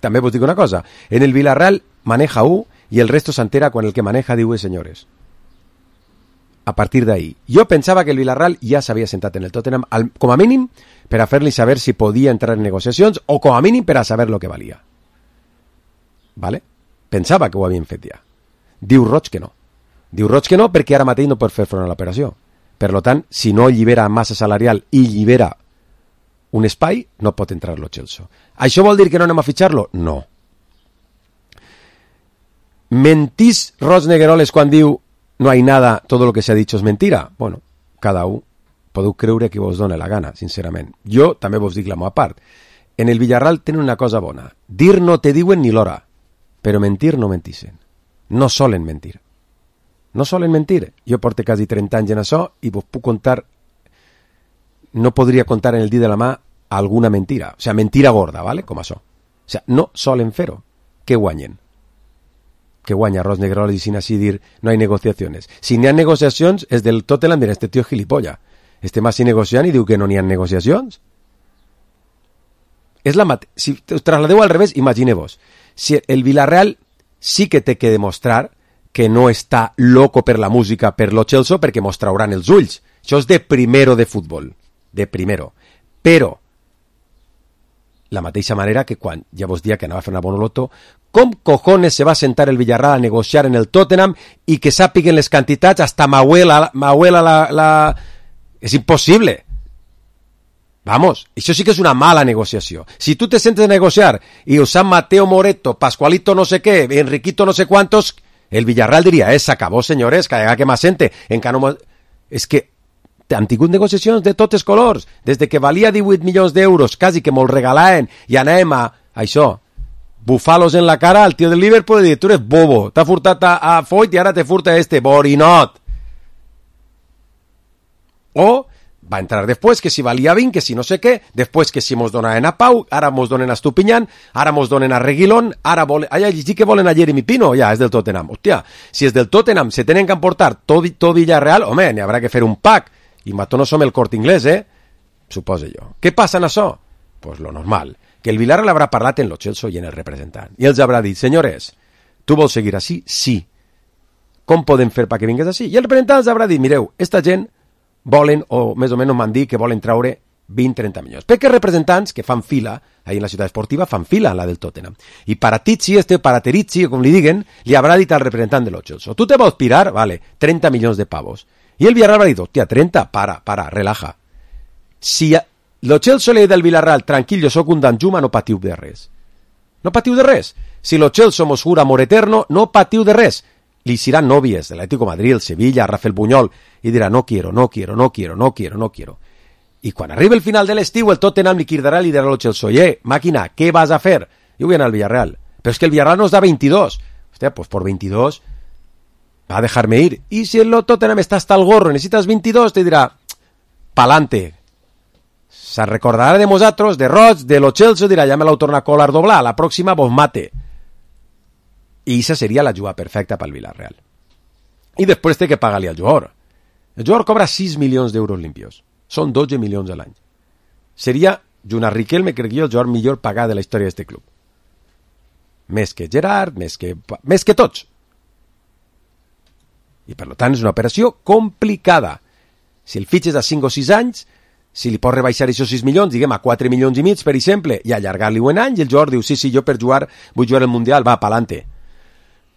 també vos dic una cosa, en el Villarreal maneja un i el resto s'entera quan el que maneja diu senyores. A partir d'ahí. Jo pensava que el Villarreal ja s'havia sentat en el Tottenham, com a mínim per a fer-li saber si podia entrar en negociacions o com a mínim per a saber lo que valia. Vale? Pensava que ho havien fet ja. Diu Roig que no. Diu Roig que no perquè ara mateix no pot fer front a l'operació. Per tant, si no llibera massa salarial i llibera un espai, no pot entrar lo Chelsea. ¿Això vol dir que no anem a fitxar-lo? No. ¿Mentís Roig Negueroles quan diu no hay nada, todo lo que se ha dicho es mentira? Bueno, cada un podeu creure que vos dona la gana, sincerament. Jo també vos dic la meva part. En el Villarreal tenen una cosa bona. Dir no te diuen ni l'hora, però mentir no mentixen. No solen mentir. No solen mentir. Jo porto quasi 30 anys en això i vos puc contar, no podria contar en el dit de la mà alguna mentira. O sea, mentira gorda, ¿vale? Com això. O sea, no solen fer-ho. Què guanyen? Que guanya Roig Negueroles i sin així dir no hay negociaciones. Si n'hi ha negociacions, és del Tottenham, mira, este tío es gilipollas. Estem així negociant i diu que no n'hi ha negociacions. És la si us trasladeu al revés, imagineu-vos. Si el Villarreal sí que té que demostrar que no està loco per la música per lo Chelsea perquè mos trauran els ulls. Això és de primero de futbol. De primero. Però, la mateixa manera que quan ja vos dia que anava a fer una bonoloto, com cojones se va sentar el Villarreal a negociar en el Tottenham i que sàpiguen les quantitats hasta m'abuela la... És impossible. Vamos, això sí que és una mala negociació. Si tu te sentes a negociar i usant Mateo Moreto, Pascualito no sé què, Enriquito no sé cuántos, el Villarreal diria, s'acabó, senyores, que m'assente. Encara no... És que han tingut negociacions de totes colors, des de que valia 18 milions d'euros, quasi que me'l regalaven, i anàvem a això, bufalos en la cara al tio del Liverpool i dir, tu eres bobo, t'ha furtat a Foyt i ara te furta borinot. O va entrar després que si valia 20, que si no sé què, després que si mos donaven a Pau, ara mos donen a Estupiñán, ara mos donen a Reguilón, ara volen... Ai, sí que volen a Jeremy Pino, ja, és del Tottenham. Hòstia, si és del Tottenham, se tenen que emportar tot Villarreal, home, n'hi haurà que fer un pack. I mató no som el Corte Inglés, Supose jo. Què passa en això? Pues lo normal, que el Villarreal habrà parlat en lo Chelsea i en el representant. I els haurà dit, senyores, tu vols seguir així? Sí. Com podem fer perquè vingues així? I el representant els haurà dit, mireu, esta gent volen, o més o menys m'han dit que volen traure 20-30 milions. Perquè representants que fan fila, ahí en la ciutat esportiva, fan fila a la del Tottenham. I Paratizzi, Paraterizzi, com li diguen, li haurà dit al representant de lo Chelsea, tu te vols pirar? Vale, 30 milions de pavos. I el Villarreal haurà dit, hòstia, 30? Para, relaja. Si lo Chelsea li ha dit al Villarreal, tranquil, jo soc un Danjuma, no patiu de res. No patiu de res. Si lo Chelsea mos jura amor eterno, no patiu de res. Li seran nòvies de l'Atlético de Madrid, el Sevilla, Rafael Buñol, i dirà, no quiero. I quan arriba el final de l'estiu, el Tottenham li cridarà i li dirà al Chelsea, màquina, què vas a fer? I ho vull anar al Villarreal. Però és que el Villarreal nos da 22. Hòstia, pues por 22... va a dejarme ir. Y si el Tottenham está hasta el gorro, necesitas 22, te dirá, pa'lante. Se recordarà de vosotros, de Roig, de lo Chelsea, dirà, ja me l'heu tornat a colar doblar, la pròxima vos mate. I esa seria la jugada perfecta pel Villarreal. I després té que pagar-li al jugador. El jugador cobra 6 milions d'euros limpios. Són 12 milions a l'any. Seria, junt a Riquelme, crec jo, el jugador millor pagat de la història d'aquest club. Més que Gerard, més que tots. I per tant és una operació complicada. Si el fitxes a 5 o 6 anys, si li pots rebaixar aquests 6 milions, diguem a 4 milions i mig, per exemple, i allargar-li un any, i el jugador diu, sí, jo per jugar, vull jugar al Mundial, va, pa'lante.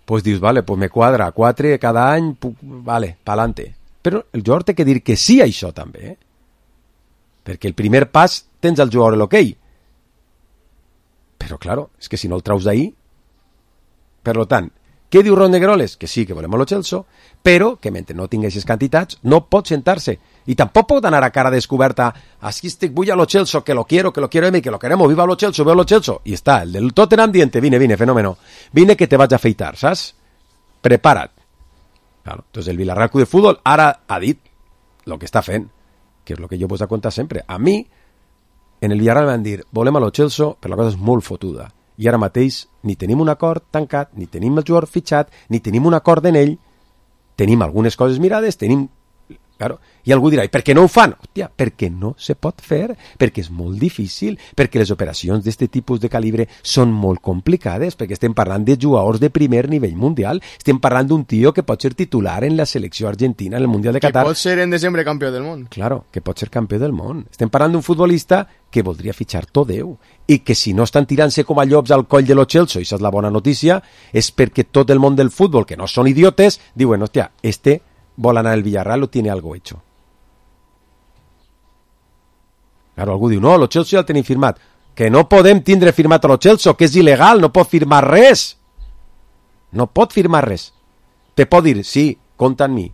Pues dius, vale, pues me quadra, 4 cada any, vale, pa'lante. Però el jugador té que dir que sí a això també, perquè el primer pas tens al jugador l'hoquei. Però, claro, és que si no el traus d'ahir... Per tant, què diu Ron Negroles? Que sí, que volem lo Chelsea, però que mentre no tingui aquestes quantitats no pot sentar-se. I tampoc pot anar a cara descoberta, aquí estic, vull a lo Chelsea, que lo quiero, que lo queremos, viva lo Chelsea, veo lo Chelsea. I està, el del Tottenham diente, vine, fenómeno. Vine que te vaig a afeitar, saps? Prepara't. Claro, entonces el Villarreal Club de Fútbol ara ha dit lo que està fent, que és lo que jo vos he contat sempre. A mi, en el Villarreal van dir, volem a lo Chelsea, però la cosa és molt fotuda. I ara mateix ni tenim un acord tancat, ni tenim el jugador fitxat, ni tenim un acord en ell, tenim algunes coses mirades, tenim... Claro. I algú dirà, i per què no ho fan? Hòstia, perquè no se pot fer, perquè és molt difícil, perquè les operacions d'aquest tipus de calibre són molt complicades, perquè estem parlant de jugadors de primer nivell mundial, estem parlant d'un tio que pot ser titular en la selecció argentina en el Mundial de Qatar. Que pot ser en desembre campió del món. Claro, que pot ser campió del món. Estem parlant d'un futbolista que voldria fitxar tot Déu, i que si no estan tirant-se com a llops al coll de lo Chelsea, i això és la bona notícia, és perquè tot el món del futbol, que no són idiotes, diuen, hòstia, vol anar al Villarreal o tiene algo hecho. Claro, algú diu, no, lo Chelsea ja el tenim firmat. Que no podem tindre firmat a lo Chelsea, que és il·legal, no pot firmar res. No pot firmar res. Te pot dir, sí, compta en mi.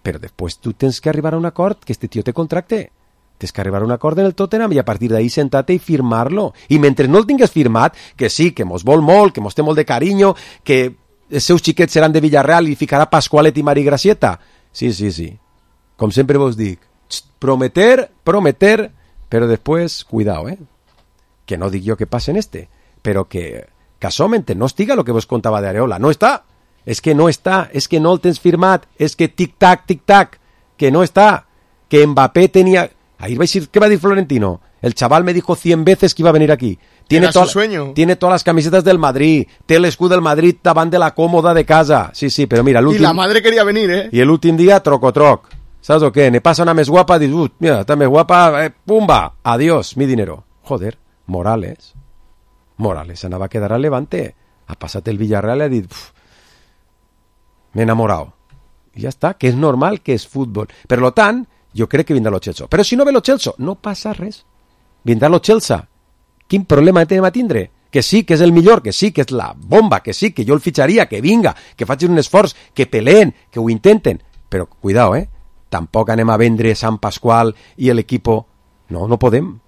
Però després tu tens que arribar a un acord, que este tio te contracte. Tens que arribar a un acord en el Tottenham i a partir d'ahí sentar-te i firmar-lo. I mentre no el tingues firmat, que sí, que mos vol molt, que mos té molt de carinyo, que els seus xiquets seran de Villarreal i ficarà Pascualet i Mari Gracieta. Sí. Com sempre vos dic, prometer, però després, cuidao, que no dic jo que passa en però que casualment no estiga el que vos contava d'Areola. No està. És que no està. És que no el tens firmat. És que tic-tac, que no està. Que Mbappé tenia... Ahí vais a decir, ¿qué va a decir Florentino? El chaval me dijo 100 veces que iba a venir aquí. Tiene todas las camisetas del Madrid, té l'escut del Madrid davant de la còmoda de casa. Sí, però mira, l'últim... I la madre quería venir, I l'últim dia, troc. ¿Sabes o qué? Ne pasa una més guapa, dius, mira, está més guapa, pumba, adiós, mi dinero. Joder, Morales anava a quedar al Levante. Ha passat el Villarreal i ha dit, m'he enamorado. I ja està, que és normal, que és futbol. Per lo tant, jo crec que vindrà lo Chelsea. Però si no ve lo Chelsea, no passa res. Vindrà lo Chelsea. Quin problema tenim a tindre? Que sí, que és el millor, que sí, que és la bomba, que sí, que jo el fitxaria, que vinga, que facin un esforç, que peleen, que ho intenten. Però, cuidao, tampoc anem a vendre Sant Pasqual i l'equipo... No podem.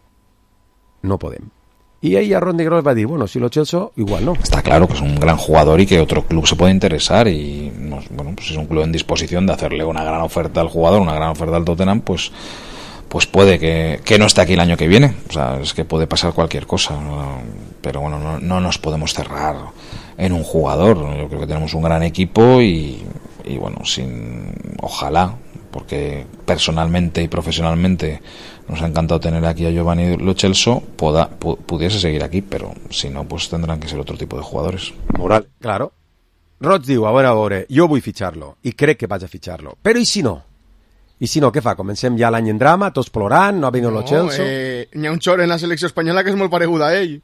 Y ahí a Ron Negroles va a decir, bueno, si lo Chelsea, igual no. Está claro que es un gran jugador y que otro club se puede interesar y, bueno, pues si es un club en disposición de hacerle una gran oferta al jugador, una gran oferta al Tottenham, pues puede que no esté aquí el año que viene. O sea, es que puede pasar cualquier cosa. Pero bueno, no nos podemos cerrar en un jugador. Yo creo que tenemos un gran equipo y bueno, ojalá, porque personalmente y profesionalmente nos ha encantado tener aquí a Giovanni Lo Celso, pudiese seguir aquí, pero si no, pues tendrán que ser otro tipo de jugadores. Moral, claro. Roig diu, a veure, jo vull fitxar-lo, i crec que vaig a fitxar-lo. Però i si no? I si no, què fa? Comencem ja l'any en drama, tots plorant, no ha vingut Lo Celso... N'hi ha un xor en la selecció espanyola que és molt paregut a ell.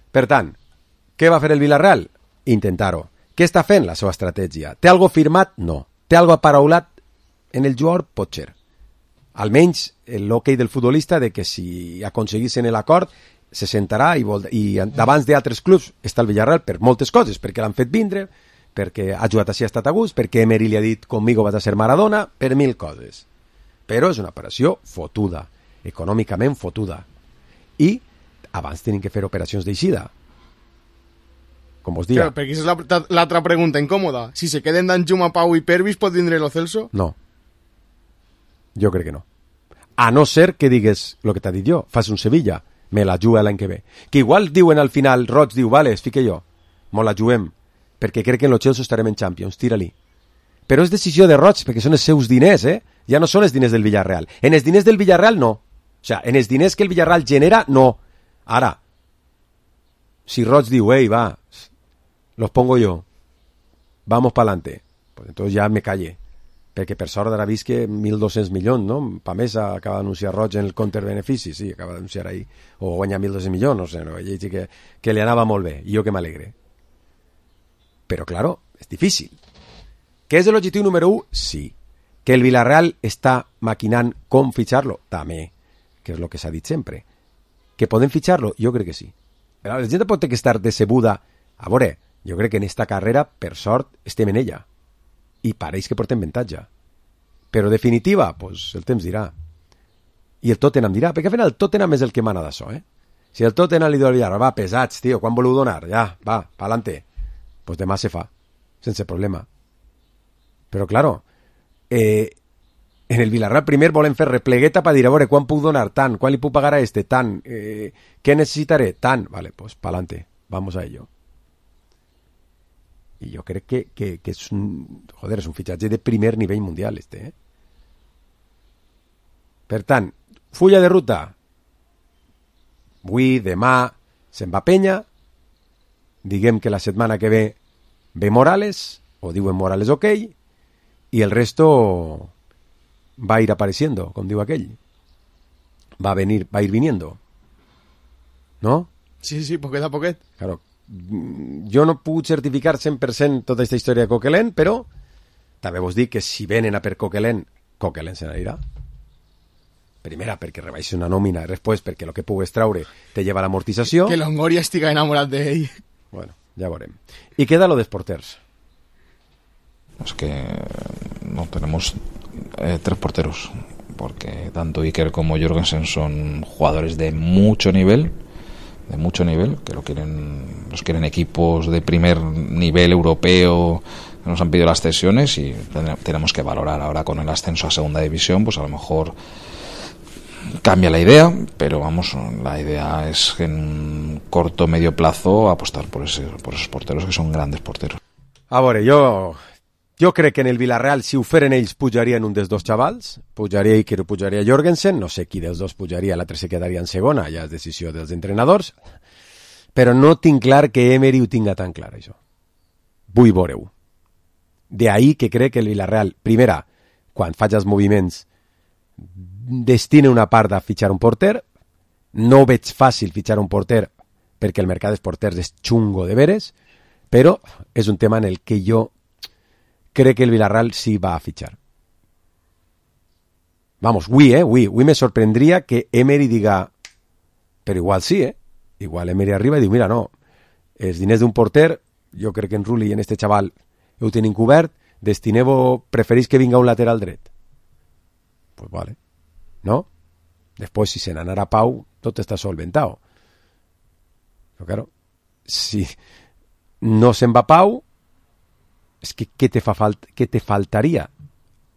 Per tant, què va fer el Villarreal? Intentar-ho. Què està fent la seva estratègia? Té algo firmat? No. Té algo aparaulat? En el jugador pot ser. Almenys l'hoquei del futbolista de que si aconseguissin l'acord se sentarà i davant d'altres clubs està el Villarreal per moltes coses, perquè l'han fet vindre, perquè ha jugat així, ha estat a gust, perquè Emery li ha dit conmigo vas a ser Maradona, per 1000 coses. Però és una operació fotuda, econòmicament fotuda. I abans tenen que fer operacions d'eixida. com vos diga. Però perquè és l'altra pregunta incòmoda. Si se queden Danjuma, Pau i Pervis, pot vindre lo Celso? No. Jo crec que no. A no ser que digues el que t'ha dit jo, fas un Sevilla, me la juga l'any que ve. Que igual diuen al final, Roig diu, vale, es fique jo, mo la juguem, perquè crec que en lo Chelsea estarem en Champions, tira-li. Però és decisió de Roig, perquè són els seus diners, ja no són els diners del Villarreal. En els diners del Villarreal, no. O sea, en els diners que el Villarreal genera, no. Ara, si Roig diu, ei, va, los pongo yo, vamos pa'lante, pues entonces ya me callé. Perquè per sort ara vist que 1.200 milions, no? Pamesa acaba d'anunciar Roig en el counter-benefici, sí, acaba d'anunciar ahí, o guanyar 1.200 milions, no sé, no? Que li anava molt bé, i jo que m'alegre. Però, claro, és difícil. Que és l'objectiu número 1? Sí. Que el Villarreal està maquinant com fitxar-lo? També, que és el que s'ha dit sempre. Que poden fitxar-lo? Jo crec que sí. Però la gent pot estar decebuda. A veure, jo crec que en esta carrera, per sort, estem en ella. I pareix que portem avantatge. Però definitiva, pues el temps dirà. I el Tottenham dirà, perquè al final el Tottenham és el que mana d'això, Si el Tottenham li diu al Villarreal, va, pesats, tio, quan voleu donar? Ja, va, pa'lante. Pues demà se fa, sense problema. Però, claro, en el Villarreal primer volen fer replegueta per dir, a veure, quan puc donar? Tant. Quan li puc pagar a este? Tant. Què necessitaré? Tant. Vale, pues pa'lante. Vamos a ello. I jo crec que és és un fitxatge de primer nivell mundial, Per tant, fulla de ruta. Avui, demà, se'n va penya. Diguem que la setmana que ve Morales, o diuen Morales ok, y el resto va a ir apareciendo, com diu aquell. Va a ir viniendo. ¿No? Sí, poquet a poquet. Claro. Jo no puc certificar 100% tota aquesta història de Coquelin, però també vos dic que si venen a per Coquelin se n'anirà. Primera, perquè rebaixi una nòmina, i després perquè el que pugues traure te lleva l'amortització. Que Longoria estiga enamorat d'ell. Bueno, ja veurem. I queda lo de porters. Es que no tenemos 3 porteros, porque tanto Iker como Jorgensen son jugadores de mucho nivel, que los quieren equipos de primer nivel europeo, que nos han pedido las cesiones, y tenemos que valorar ahora con el ascenso a segunda división, pues a lo mejor cambia la idea, pero vamos, la idea es en un corto medio plazo apostar por esos porteros, que son grandes porteros. A veure, jo crec que en el Villarreal, si ho feren ells, pujarien un dels dos xavals, pujaria Iker o pujaria Jorgensen, no sé qui dels dos pujaria, l'altre se quedaria en segona, ja és decisió dels entrenadors, però no tinc clar que Emery ho tinga tan clar, això. Vull veure-ho. De ahí que crec que el Villarreal, primera, quan faig els moviments, destina una part a fitxar un porter, no veig fàcil fitxar un porter perquè el mercat dels porters és xungo de veres, però és un tema en el que jo crec que el Villarreal sí va a fitxar. Vamos, avui me sorprendria que Emery diga, però igual sí, igual Emery arriba i diu, mira, no, els diners d'un porter, jo crec que en Rulli i en este xaval ho tenim cobert, destineu-ho, preferís que vinga un lateral dret. Pues vale, ¿no? Después, si se n'anara Pau, tot està solventado. Però claro, si no se'n va Pau, és que què te faltaria?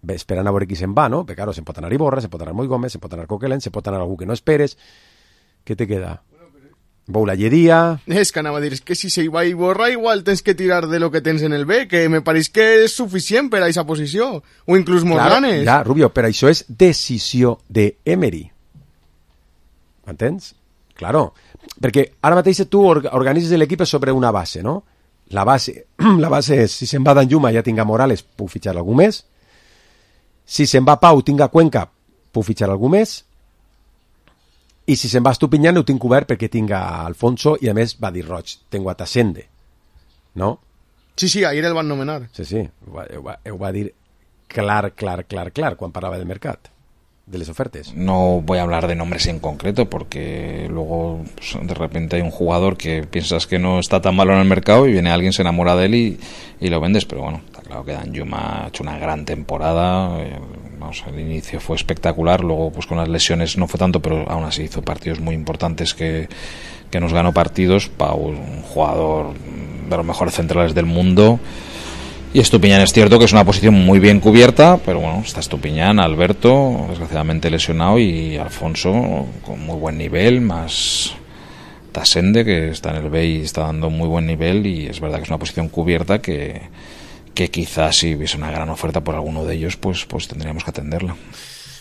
Bé, esperant a veure qui se'n va, no? Perquè, claro, se'n pot anar Iborra, se'n pot anar Moi Gómez, se'n pot anar Coquelin, se'n pot anar algú que no esperes. Què te queda? Boulalleria... És que anava a dir, és que si se va Iborra, igual tens que tirar de lo que tens en el B, que me pareix que és suficient per a aquesta posició, o inclús molt granes. Ja, Rubio, però això és decisió de Emery. M'entens? Claro, perquè ara mateix tu organitzes l'equip sobre una base, no? La base és, si se'n va Danjuma ja tinga Morales, puc fitxar algú més. Si se'n va Pau, tinga Cuenca, puc fitxar algú més. I si se'n va Estupiñán, ho tinc cobert perquè tinga Alfonso i a més va dir Roig, tengo a Tasende, no? Sí, ahir el van nomenar. Sí, ho va dir clar quan parlava del mercat, de les ofertes. No voy a hablar de nombres en concreto porque luego pues, de repente hay un jugador que piensas que no está tan malo en el mercado y viene alguien, se enamora de él y lo vendes, pero bueno, está claro que Danjuma ha hecho una gran temporada, el inicio fue espectacular, luego pues con las lesiones no fue tanto, pero aún así hizo partidos muy importantes que nos ganó partidos. Pau, un jugador los mejores centrales del mundo. Y Estupiñán es cierto que es una posición muy bien cubierta, pero bueno, está Estupiñán, Alberto, desgraciadamente lesionado, y Alfonso con muy buen nivel, más Tasende, que está en el B y está dando muy buen nivel, y es verdad que es una posición cubierta que quizás si hubiese una gran oferta por alguno de ellos, pues tendríamos que atenderla.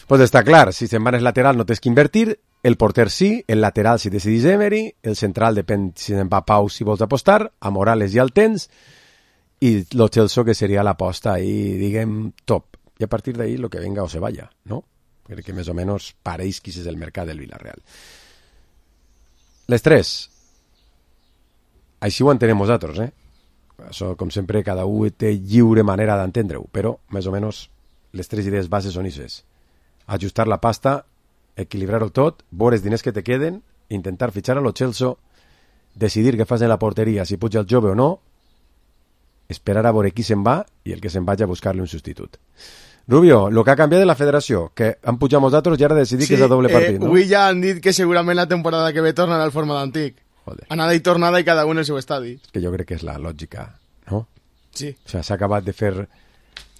Pues està clar, si se'n van el lateral no tens que invertir, el porter sí, el lateral si decidís Emery, el central depèn si se'n va Pau si vols apostar, a Morales ja el tens, i lo Celso que seria l'aposta ahí, diguem, top. I a partir d'ahí lo que venga o se vaya, ¿no? Crec que més o menys pareix qui és el mercat del Villarreal. Les tres. Així ho entenem nosaltres, Això, com sempre, cada un té lliure manera d'entendre-ho, però més o menys les tres idees bases són ixes. Ajustar la pasta, equilibrar-ho tot, veure els diners que te queden, intentar fitxar a lo Celso, decidir què fas en la porteria, si puja el jove o no, esperar a veure qui se'n va i el que se'n vagi a buscar-li un substitut. Rubio, el que ha canviat de la federació, que han pujat nosaltres i ara decidir que és a doble partit, no? Avui ja han dit que segurament la temporada que ve tornarà al format antic. Joder. Anada i tornada i cada un el seu estadi. És que jo crec que és la lògica, no? Sí. O sigui, s'ha acabat de fer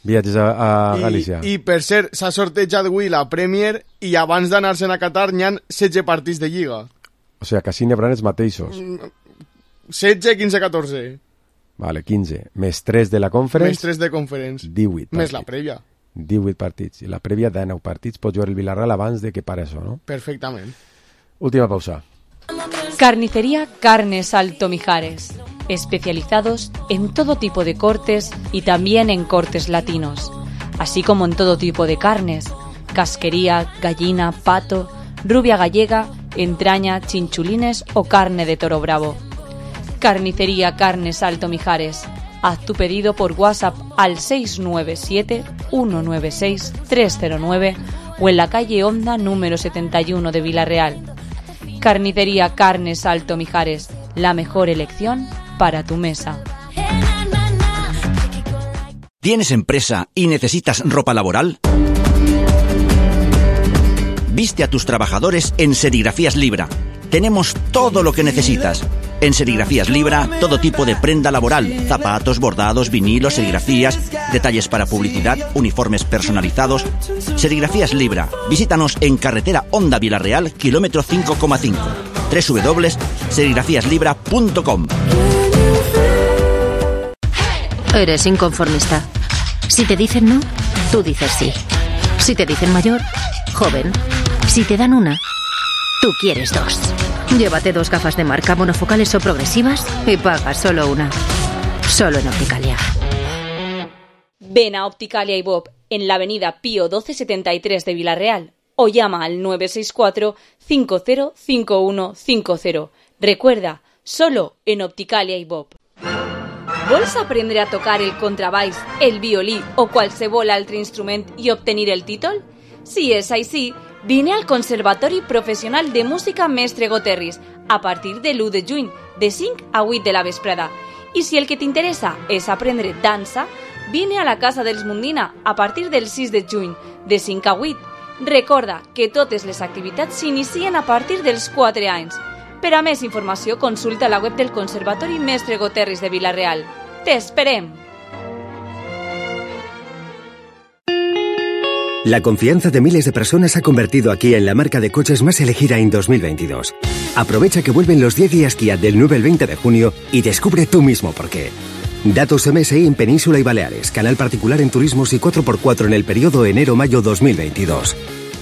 viatges a Galícia. I per cert, s'ha sortejat avui la Premier i abans d'anar-se'n a Qatar n'hi ha 16 partits de Lliga. O sigui, que així n'hi haurà els mateixos. 16, 15, 14. Vale, 15. Més 3 de la Conference. Més 3 de Conference. 18 partits. Més la prèvia. 18 partits. I la prèvia de 9 partits pot jugar el Villarreal abans de que pare això, no? Perfectament. Última pausa. Carnicería Carnes Alto Mijares. Especializados en todo tipo de cortes y también en cortes latinos, así como en todo tipo de carnes, casquería, gallina, pato, rubia gallega, entraña, chinchulines o carne de toro bravo. Carnicería Carnes Alto Mijares. Haz tu pedido por WhatsApp al 697-196-309 o en la calle Honda número 71 de Villarreal. Carnicería Carnes Alto Mijares, la mejor elección para tu mesa. ¿Tienes empresa y necesitas ropa laboral? Viste a tus trabajadores en Serigrafías Libra. Tenemos todo lo que necesitas. En Serigrafías Libra, todo tipo de prenda laboral, zapatos, bordados, vinilos, serigrafías, detalles para publicidad, uniformes personalizados. Serigrafías Libra. Visítanos en carretera Honda Villarreal, kilómetro 5,5. www.serigrafiaslibra.com. Eres inconformista. Si te dicen no, tú dices sí. Si te dicen mayor, joven. Si te dan una, tú quieres dos. Llévate 2 gafas de marca monofocales o progresivas y paga solo una. Solo en Opticalia. Ven a Opticalia y Bob en la avenida Pío 1273 de Villarreal o llama al 964 505150. Recuerda, solo en Opticalia y Bob. ¿Vols aprendre a tocar el contrabaix, el violí o qualsevol altre instrument i obtenir el títol? Si és així, vine al Conservatori Professional de Música Mestre Goterris a partir de l'1 de juny, de 5 a 8 de la vesprada. I si el que t'interessa és aprendre dansa, vine a la Casa dels Mundina a partir del 6 de juny, de 5 a 8. Recorda que totes les activitats s'inicien a partir dels 4 anys. Per a més informació, consulta la web del Conservatori Mestre Goterris de Villarreal. ¡T'esperem! La confianza de miles de personas ha convertido a Kia en la marca de coches más elegida en 2022. Aprovecha que vuelven los 10 días Kia del 9 al 20 de junio y descubre tú mismo por qué. Datos MSI en Península y Baleares, canal particular en turismos y 4x4 en el periodo enero-mayo 2022.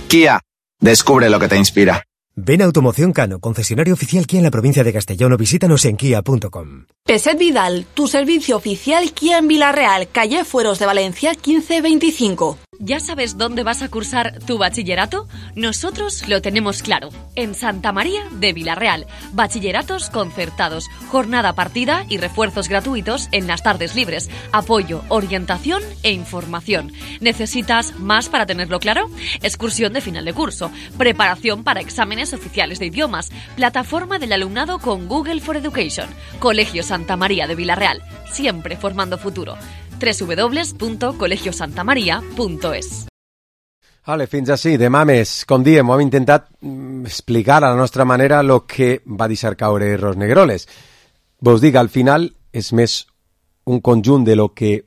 Kia, descubre lo que te inspira. Ven a Automoción Cano, concesionario oficial Kia en la provincia de Castellón, o visítanos en kia.com. Peset Vidal, tu servicio oficial Kia en Villarreal, calle Fueros de Valencia 1525. ¿Ya sabes dónde vas a cursar tu bachillerato? Nosotros lo tenemos claro. En Santa María de Villarreal. Bachilleratos concertados, jornada partida y refuerzos gratuitos en las tardes libres. Apoyo, orientación e información. ¿Necesitas más para tenerlo claro? Excursión de final de curso. Preparación para exámenes oficiales de idiomas. Plataforma del alumnado con Google for Education. Colegio Santa María de Villarreal. Siempre formando futuro. www.colegiosantamaria.es. Vale, fins així. Demà més, com diem, ho hem intentat explicar a la nostra manera el que va deixar caure Ros Negroles. Vos dic, al final, és més un conjunt de lo que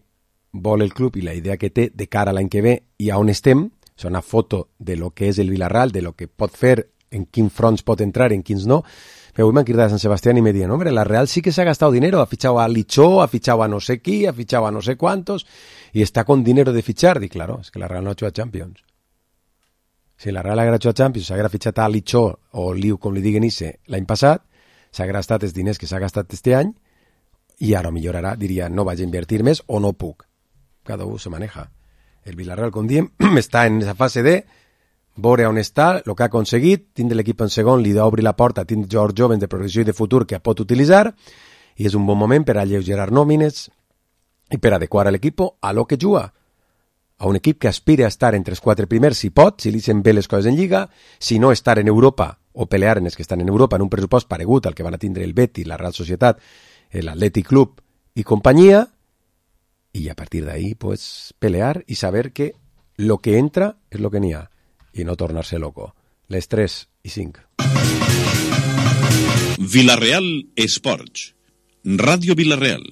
vol el club i la idea que té de cara a l'any que ve i a on estem. És una foto de lo que és el Villarreal, de lo que pot fer, en quins fronts pot entrar, en quins no. Pero hoy me han quitado de San Sebastián y me dijeron, hombre, la Real sí que se ha gastado dinero, ha fichado a Lichó, ha fichado a no sé qui, ha fichado a no sé cuántos, y está con dinero de fichar. Y claro, es que la Real no ha hecho a Champions. Si la Real haguera hecho a Champions, s'haguera fitxat a Lichó o Liu, com li diguen ese, l'any passat, s'haguera gastat els diners que s'ha gastat este any, i ara millor ara diria, no vaig a invertir més o no puc. Cada un se maneja. El Villarreal, com diem, està en esa fase de veure on està, el que ha aconseguit, tindre l'equip en segon, li d'obrir la porta, tindre jocs jovens de progressió i de futur que pot utilitzar, i és un bon moment per alleugerar nòmines i per adequar l'equip a lo que juga. A un equip que aspira a estar entre els 4 primers, si pot, si li sent bé les coses en Lliga, si no estar en Europa o pelear en els que estan en Europa en un pressupost paregut al que van a tindre el Betis, la Real Societat, l'Atlètic Club i companyia, i a partir d'ahí pues, pelear i saber que lo que entra és lo que n'hi ha i no tornar-se loco. Les 3:05. Villarreal Esports. Ràdio Villarreal.